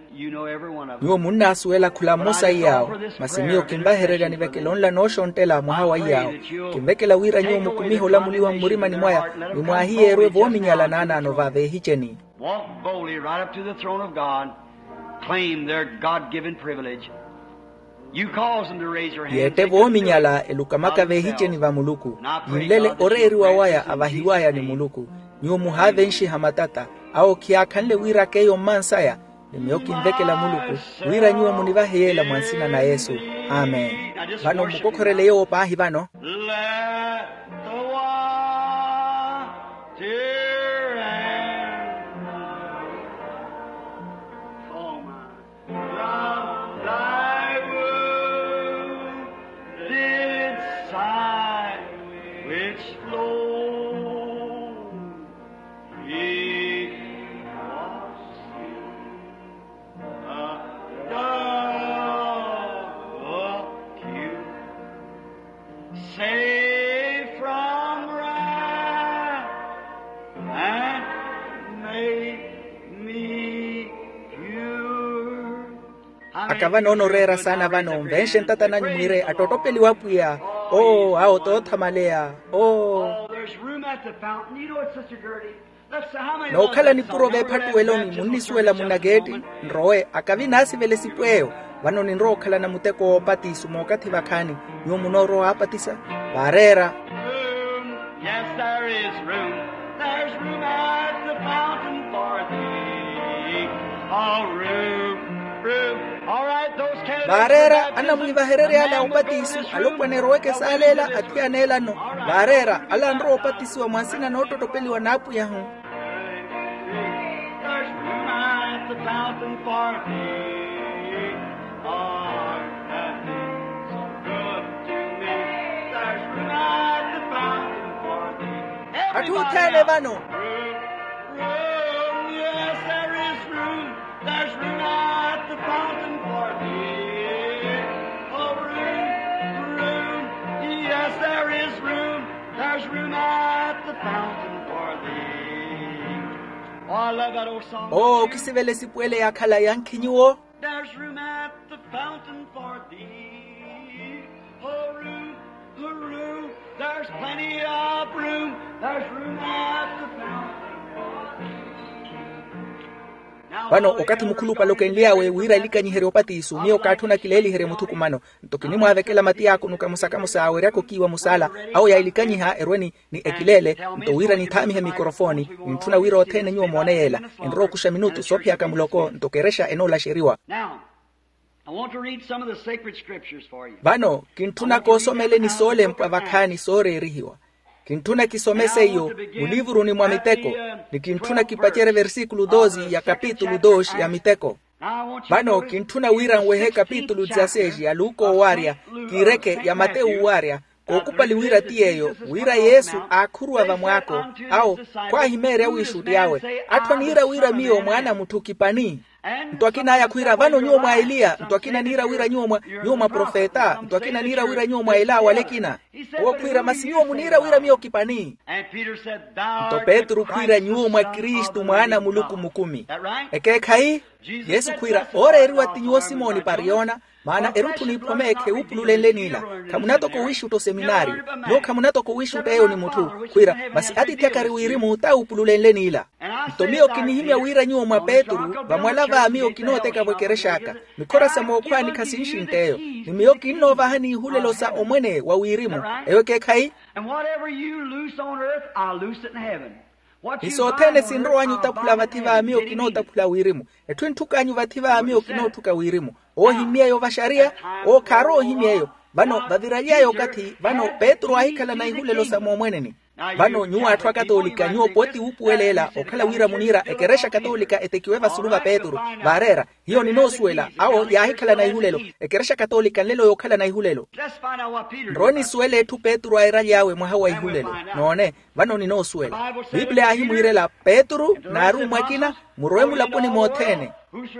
Nyuwo munnaasuwela khula mmosa iy'awo. Masi miyo kinvahererya nivekele onla nooxonttela mwaha wa iy'awo. Kinvekela wira nyuwo mukumihe olamuliwa mmurimani mwaya, ni mwaahiyeerwe voominyala naanaano va veehiceni. Walk boldly right up to the throne of God. Claim their God-given privilege. Yeette voominyala elukamaka veehiceni va muluku. Yinlele oreeriwa waya avahiw'aya ni muluku. Nyuwo muhaavenxiha matata. Awo khiyaakhanle wira k'eyo mmansaya. Ni miyo kinvekela muluku wira nyuwo munivahe yeela mwa nsina na yesu. Amen. Vano mmukokhorele yoowo paahi vano. Let the water and the foam from thy wounded side which flow me wash you, a dove of you. Save from wrath and make me pure. Akava noona oreera saana vano nvenxe ntata nanyu mwiire attotopeliwa apwiya. Oo awo toothamaleya. Oo. Nookhala nipuro veephattuweloni munnisuwela munakeetti. Nrowe akavi naasivela esipu eyo. Vano ninrowa okhalana muteko woopatiso mookathi vakhaani. Nyuwo munoorowa waapatisa vaareera. Yes, there is room. There's room at the fountain for thee. Oh, room, room. All right, those candidates. Vaareera anamwivahererye ale a opatiso alopwana eroweke saaleela athiyana ela nno. Vaareera ale anrowa opatisiwa mwa nsina noottottopeliwa n'apwiyahu. There's room at the fountain for thee. Lord, that is so good to me. There's room at the fountain for thee. Atthu othene vano. Room, room, yes, there is room. There's room at the fountain for thee. Oh, room, room, yes, there is room. There's room at the fountain for thee. Oh, I love that old song. Oo okisivela esipu ele yaakhala yankhi nyuwo. There's room at the fountain for thee. Oh, room, oh, room, there's plenty of room. There's room at the fountain for thee. Vano okathi mukhulupale okenly'awe wira elikanyiherye opatiso miyo kaatthuna kileeliherye muthukumano. Nto kinimwaavekela mati yaakunuka musakamusa aweryaka okiiwa musaala. Awo yailikanyiha erweni ni ekileele. Nto wira nithaamihe mikorofoni nintthuna wira othene nyuwo moone yeela. Enrowa okuxa minutu soophiyaka muloko nto kerexa enoolaxeriwa. Now, I want to read some of the sacred scriptures for you. Vano kintthuna koosomeleni soolempwa vakhaani sooreerihiwa. Kintthuna kisomese iyo muliivuruni mwa miteko. Ni kintthuna kipacerye versikulu dosi ya kapitulu dosi ya miteko. Vano kintthuna wira nwehe kapitulu dzaseji ya luka owaarya, kiireke ya matewu owaarya. Kookupali wira ti yeeyo wira yesu aakhuruwa vamwaako. Awo khwaahimeerya wiixutti awe. Atthu aniira wira miyo mwaana a mutthu kipani. Nto akina aya khwiira vano nyuwo mwa eliya nto akina aniira wira nyuwo mwa profeta nto akina aniira wira nyuwo mwa ela awale ekina. Owo khwiira masi nyuwo muniira wira miyo kipani. Nto petru khwiira nyuwo mwa kristu mwaana a muluku mukumi. Ekeekhayi? Yesu khwiira ooreeriwa ti nyuwo simoni pariyona. Maana erutthu n'iphome kheewupululenle n'ila. Khamunatoka owiixutta oseminaariyo. Nyuwo khamunatoka owiixutta eyo ni mutthu. Khwiira masi atiithi akari wirimu taawupululenle n'ila. Nto miyo kinihimya wira nyuwo mwa petru vamwala va miyo kinooteka-vo ekerex'aka. Mikhora sa mookhwaani khasinxintt'eyo. Ni miyo kinnoovahani ihulelo sa omwene wa wirimu. Eyo ekeekhayi? Ni sothene sinrow'anyu otaphula vathi va miyo kinootaphula wirimu. Etthu entthuk'anyu vathi va miyo kinootthuka wirimu. Owo ohimmy'eyo vaxariya. Owo khaarowa ohimmy'eyo. Vano vaviraly'aya okathi vano petru aahikhalana ihulelo sa moomweneni. Vano nyuwo atthu akatoolika nyuwo pooti wuupuwela ela okhala wira muniira ekerexa katoolika etekiwe vasulu va petru, vaareera. Hiyo ninoosuwela awo yaahikhalana ihulelo. Ekerexa katoolika nlelo yookhalana ihulelo. Nrowe nisuwela etthu petru airaly'awe mwaha wa ihulelo. Noone, vano ninoosuwela. Pipiliya yaahimwiirela petru n'arummwa akina, murowe mulaponi mothene.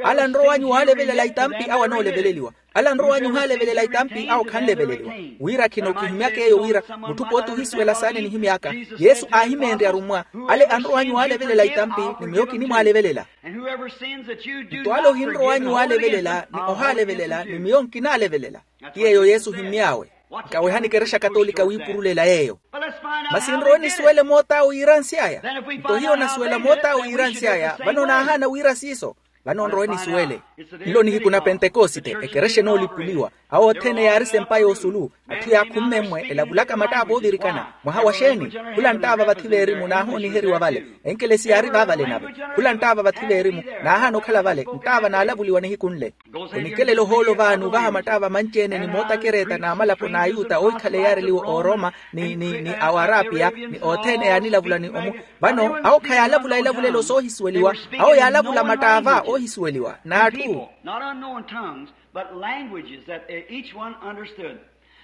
Ala nrow'anyu waalevelela itampi awo anooleveleliwa. Ala nrow'anyu ohaalevelela itampi awo khanleveleliwa. Wira khino kihimyaka eyo wira mutthu pooti ohisuwela saana enihimyaka. Yesu aahimeenrye arummwa, ale anrow'anyu waalevelela itampi ni miyo kinimwaalevelela. Nto ale ohinrow'anyu waalevelela ni ohaalevelela ni miyo nkinaalevelela. Ti yeeyo yesu ohimmy'awe. Nkawehani ekerexa katolika wiipurulela yeeyo. Masi nrowe nisuwele moot'awe iiransy'aya. Nto hiyo nasuwela moot'awe iiransy'aya vano naahaana wira siiso. Vano nrowe nisuwele. Nlo nihiku na pentekosite ekerexa enoolipuliwa. Awo othene yaari sempa y'osulu. Atthu yaakhumme mmwe elavulaka mattava oovirikana. Mwaha wa xeeni? Khula nttava vathi veerimu naahooniheriwa vale. Enkelesi yaari vaavale nave. Khula nttava vathi veerimu naahaana okhala vale nttava naalavuliwa nihiku nle. Onikelela ohoolo vaani ovaha mattava manci-ene ni mootakereeta n'amalapo n'ayuta oohikhala eyaareliwe ooroma ni ni ni awarapia ni othene yaanilavula ni omu. Vano awo khayaalavula elavulelo soohisuweliwa. Awo yaalavula mattaava oohisuweliwa n'atthu.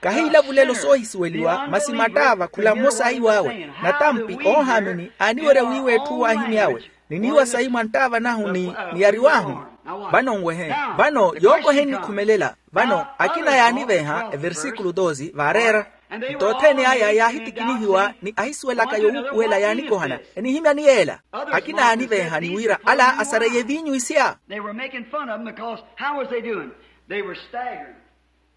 Kahiilavulelo soohisuweliwa masi mattaava khula mmosa aiw'awe. Natampi oohaamini aaniwerya wiiwa etthu waahimy'awe. Ni niiwa sayi mwa nttaava nahu ni niyariw'ahu. Vano nwehe. Vano yookohe nnikhumelela. Vano akina yaaniveeha eversikulu dosi vaareera. Nto othene aya yaahitikinihiwa ni ahisuwelaka yowuupuwela yaanikohana enihimya ni yeela. Akina yaaniveeha ni wira ala asareiye eviinyu isya.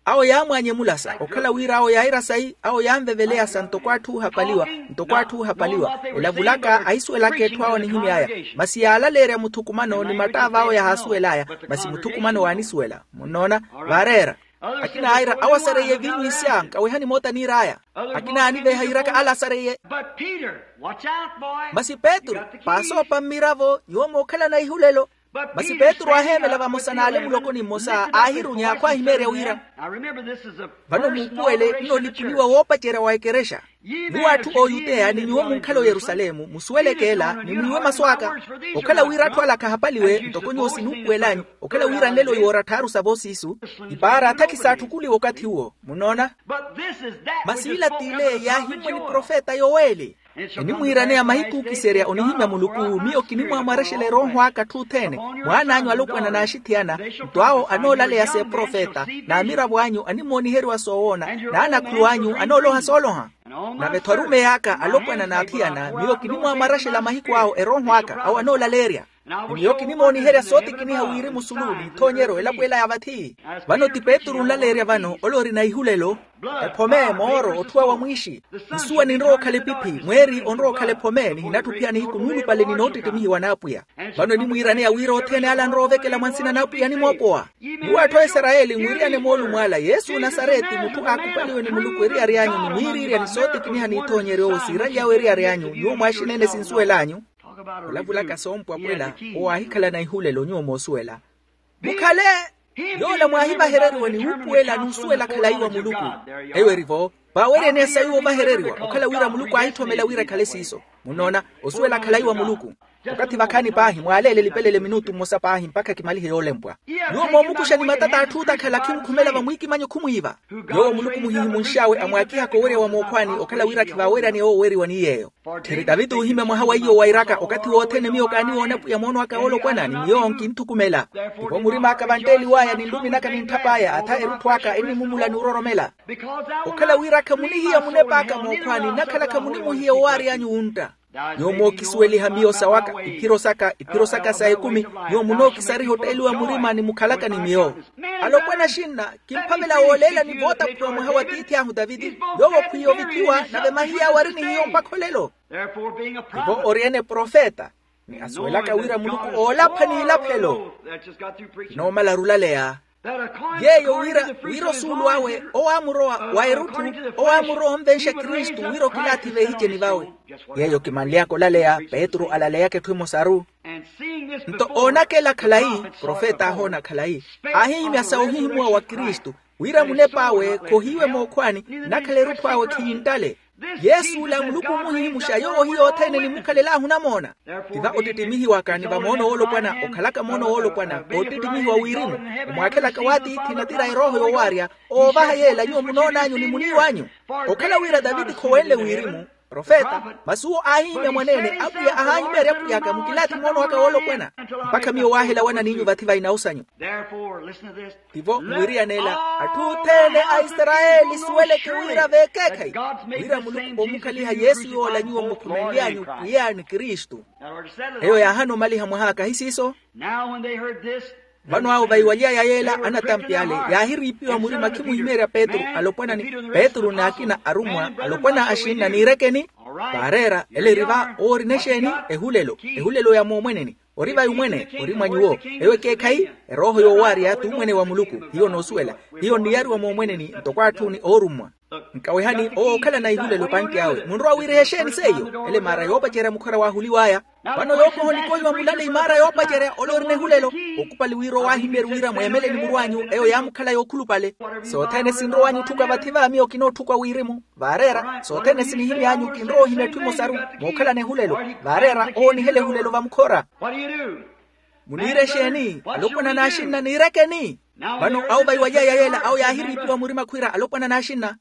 Awo yaamwaanye mulasa okhala wira awo yaira sayi awo yaanveveleya sa ntoko atthu oohapaliwa. Ntoko atthu oohapaliwa elavulaka ahisuwelaka etthu awo anihimy'aya. Masi yaalaleerya muthukumano ni mattaava awo yahaasuwel'aya. Masi muthukumano waanisuwela munnoona. Vaareera. Akina aira awo asareiye eviinyu isya nkawehani moota niir'aya. Akina yaaniveeha yiiraka ala asareiye. Masi petru, paasoopa mmiravo nyuwo mookhalana ihulelo. Masi petru aaheemela vamosa n'ale mulokoni mmosa aahirunya khwaahimeerya wira. Vano muupuwele nno olipuliwa woopacerya wa ekerexa. Nyuwo atthu ooyuteya ni nyuwo munkhala oyerusalemu musuweleke ela ni mwiiwe masu aka. Okhala wira atthu ala khahapaliwe ntoko nyuwo sinuupuwel'anyu. Okhala wira nlelo yoora tthaaru sa voosiisu. Ipaara athakisa atthu khuliwa okathi uwo munnoona. Masi ila t'ile yaahimmwe ni profeta yoweli. Enimwiiraneya mahiku ookiserya onihimya muluku miyo kinimwaamwarexela erooho aka atthu othene. Mwaan'anyu alopwana n'axithiyana nto awo anoolaleya s'eprofeta n'amiravo anyu animooniheriwa soowoona n'anakhulu anyu anooloha sooloha. Nave-tho arumeyi aka alopwana n'athiyana miyo kinimwaamwarexela mahiku awo erooho aka awo anoolaleerya. Ni miyo kinimooniherya sootikiniha wirimu sulu n'ithoonyeryo elapo ela ya vathi. Vano ti petru onlaleerya vano ole orina ihulelo. Ephome mooro otthuwa wa mwiixi. Nsuwa ninrowa okhala epiphi mweeri onrowa okhala ephome nihinatthi ophiya nihiku nuulupale ni noottittimihiwa n'apwiya. Vano enimwiiraneya wira othene ala anrowa ovekela mwa nsina n'apwiya animoopowa. Nyuwo atthu a isarayeli mwiriyane moolumo ala yesu nasareti mutthu aakupaliwe ni muluku eriyari anyu ni miiriirya ni sootikiniha n'ithoonyeryo siiralyawe eriyari anyu nyuwo mwaaxinene sinsuwel'anyu. Olavulaka soompwapwela owo aahikhalana ihulelo nyuwo moosuwela. Mukhale yoola mwaahivahereriwa ni wuupuwela n'usuwela khalayi wa muluku. Eyo eri-vo vaaweryaneya sayi woovahereriwa okhala wira muluku aahitthomela wira ekhale siiso. Munnoona osuwela khalayi wa muluku. Okathi vakhaani paahi mwaaleele elipelele minutu mmosa paahi mpakha kimalihe yoolempwa. Nyuwo moomukuxa ni matata atthu otakhala khimukhumelava mwiikimanyo khumwiiva. Yoowo muluku muhihimunx'awe amwaakihaka owerya wa mookhwaani okhala wira khivaaweryaneya ooweriwa ni yeeyo. Tthiri taviti oohimya mwaha wa iyo wairaka okathi wothene miyo kaaniwoona pwiya moono aka woolopwana ni miyo nkinthukumela. Ivo murim'aka vantteliw'aya ni nlumi naka ni ntthap'aya atha erutthu aka enimumula ni ororomela. Okhala wira khamunihiya munep'aka mookhwaani nnakhala khamunimuhiya owaary'anyu wuntta. Nyuwo mookisuweliha miyo sawaka iphiro saka iphiro saka sa ekumi. Nyuwo munookisariha otteeliwa murima ni mukhalaka ni miyo. Alopwana axinna kimphavela wooleela ni vootaphuwa mwaha wa tiithi ahu taviti. Yoowo khwiya ovithiwa nave mahiya awe ari ni hiyo mpakha olelo. Ivo ori-ene profeta ni asuwelaka wira muluku oolapha n'ilaphelo. Noomala arulaleya yeeyo wira wira osuulu awe owaamurowa wa erutthu owaamurowa onvenxa kristu wira okilaathi veehiceni vawe. Yeeyo kimanly'aka olaleya petru alaleyaka etthu emosaru. Nto oonaka ela khalayi profeta aahoona khalayi aahihimya sa ohihimuwa wa kristu. Wira munep'awe khohiiwe mookhwaani, nnakhala erutthu awe khiyinttale. Yesu ola muluku omuhihimuxa yoowo hiyo othene enimukhalel'ahu onamoona. Ti va ottittimihiwaka ni va moono woolopwana okhalaka moono woolopwana, ottittimihiwa wirimu, omwaakhelaka w'atiithi natira erooho yoowaarya, oovaha yeela nyuwo munoon'anyu ni muniiw'anyu. Okhala wira taviti khowenle wirimu profeta, masi uwo aahihimya mwaneene, apwiya ahaahimeerya pwiy'aka mukilaathi moono waka woolopwana, mpakha miyo waahelawana n'inyu vathi va inawu sanyu. Tivo mwiriyanela atthu othene a isarayeli suweleke wira veekeekhayi, wira muluku omukhaliha yesu yoola nyuwo mukhumenly'anyu pwiya ni kristu. Eyo yaahana omaliha mwaha kahi siiso. Vano awo vaiwaly'aya yeela anatampi ale, yaahiriipiwa murima khimuhimeerya petru alopwana ni petru n'akina arummwa alopwana axinna niirekeni. Vaareera ele eri va owo orina exeeni? Ehulelo, ehulelo ya moomweneni. Ori vayi omwene ori mwa nyuwo. Eyo ekeekhayi, erooho yoowaarya t'umwene wa muluku. Hiyo noosuwela. Hiyo nniyariwa moomweneni ntoko atthuni oorummwa. Nkawehani owo ookhalana ihulelo pantti awe munrowa wiiriha exeeni seiyo? Ele maara yoopacerya mukhora waahuliw'aya. Vano yookoha onikohiwa mulale imaara yoopacerya ole orina ehulelo. Okupali wira owaahimyerye wira mweemele ni murw'anyu eyo yaamukhala yookhulupale. Sothene sinrow'anyu otthuka vathi va miyo kinootthuka wirimu. Vaareera sothene sinihimy'anyu kinrowa ohimya etthu emosaru. Mookhalana ehulelo. Vaareera owo onihela ehulelo vamukhora. Muniira exeeni alopwana n'axinna niirekeni? Vano awo vaiwaly'aya yeela awo yaahiriipiwa murima khwiira alopwana n'axinna.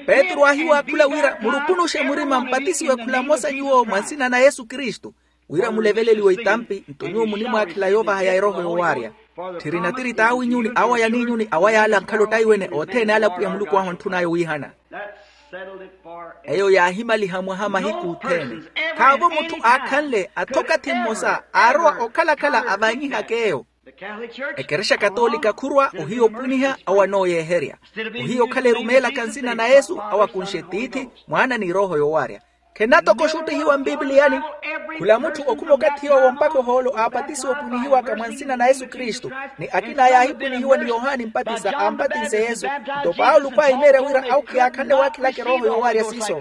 Petru aahiwaakhula wira murukunuxe murima mpatisiwe khula mmosa nyuwo mwa nsina na yesu kristu, wira muleveleliwe itampi nto nyuwo munimwaakhela yoovahaya erooho yoowaarya. Tthiri natiri t'awinyuni awo ayaninyuni awo ayaala ankhala ottaiwene othene ale apwiya muluku ahu antthun'aya owiihana. Eyo yaahimaliha mwaha mahiku othene. Khaavo mutthu aakhanle athokathi mmosa aarowa okhalakhala avaanyihaka eyo. Ekerexa katoolika khurwa ohiya opwiniha awo anooyeeherya. Ohiya okhala erumeelaka nsina na yesu awo akunxe tiithi, mwaana ni erooho yoowaarya. Khenatoko oxuttihiwa mpipiliyani. Khula mutthu okhuma okathi yoowo mpakha ohoolo aapatisiwa opwinihiwaka mwa nsina na yesu kristu. Ni akin'aya aahipwinihiwa ni yohani mpatisa aampatinse yesu. Nto paulo khwaahimeerya wira awo khiyaakhanle waakhilaka erooho yoowaarya siiso.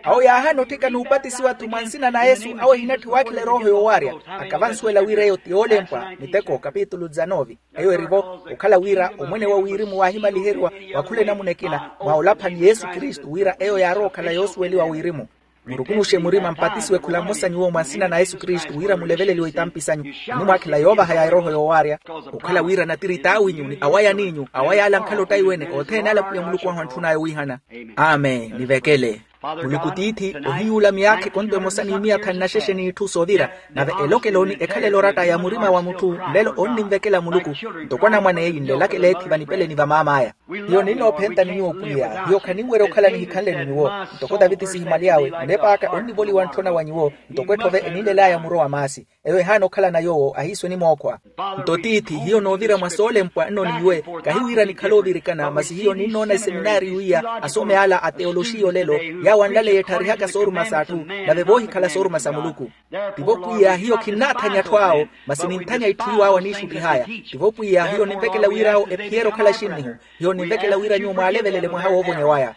Awo yaahana otthika n'upatisiwa-tho mwa nsina na yesu awo ehinatthi waakhila erooho yoowaarya. Akavansuwela wira eyo ti yoolempwa miteko kapitulu dizanove. Eyo erivo okhala wira omwene wa wirimu waahimaliheriwa, wa khula enamuna ekina mwa olaphani yesu kristu wira eyo yaarowa okhala yoosuweliwa wirimu. Murukunuxe murima mpatisiwe khula mmosa nyuwo mwa nsina na yesu kristu wira muleveleliwe itampi sanyu. Munimwaakhela yoovahaya erooho yoowaarya. Okhala wira natiri t'awinyu ni awo ayaninyu awo ayaala ankhala ottaiwene othene ale apwiya muluku ahu antthun'aya owiihana. Amen nivekele. Muluku tiithi ohiyuula miyaakha ekonto emosa ni miya thanu na xexe n'itthu soovira. Nave elokelo ni ekhalela oratta ya murima wa mutthu nlelo onninvekela muluku. Ntoko anamwane eyi nlelakela ethi vanipeleni va maam'aya. Hiyo ninnoophenta ni nyuwo pwiya hiyo khaninwerya okhala nihikhanle ni nyuwo. Ntoko taviti sihimaly'awe munep'aka onnivoliwa ntthona wa nyuwo. Ntoko etthove eninlel'aya muro wa maasi. Eyo ehaana okhalana yoowo ahiiso enimookhwa. Nto tiithi hiyo noovira mwa soolempwa nno ni nyuwe. Kahi wira nikhale oovirikana masi hiyo ninnoona eseminaari wiiya asome ala a teyoloxiya olelo yaawo anlaleya ettharihaka sooruma s'atthu. Nave voohikhala sooruma sa muluku. Tivo pwiya hiyo khinnaathanya atthu awo. Masi ninthanya itthu iwaawo aniixuttih'aya. Tivo pwiya hiyo ninvekela wir'awo ephiyere okhala xinnihu. Hiyo ninvekela wira nyuwo mwaalevelele mwaha woovonya waya.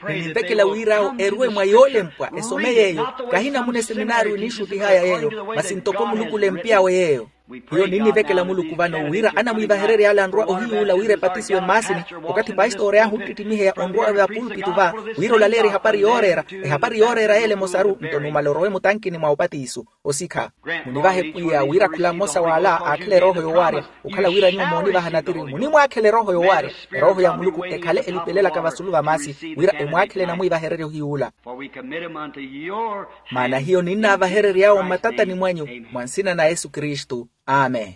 Ni ninvekela wir'awo eruwe mwa yoolempwa esome yeeyo. Kahi namuna eseminaari oniixuttih'aya yeeyo masi ntoko muluku olempy'awe yeeyo. Hiyo ninnivekela muluku vano wira anamwiivahererye ale anrwa ohiyuula wira epatisiwe mmaasini. Okathi pastori ahu onttittimiheya onrwa vapulpitu va wira olaleerye ehapari yooreera. Ehapari yooreera y'ele emosaru nto numala orowe mutankini mwa opatiso. Osikha. Munivahe pwiya wira khula mmosa w'ala aakhela erooho yoowaarya. Okhala wira nyuwo moonivaha natiri munimwaakhela erooho yoowaarya. Erooho ya muluku ekhale elipelelaka vasulu va maasi wira emwaakhele enamwiivahererye ohiyuula. Maana hiyo ninnaavaherery'awo mmatatani mwanyu mwa nsina na yesu kristu. Amen.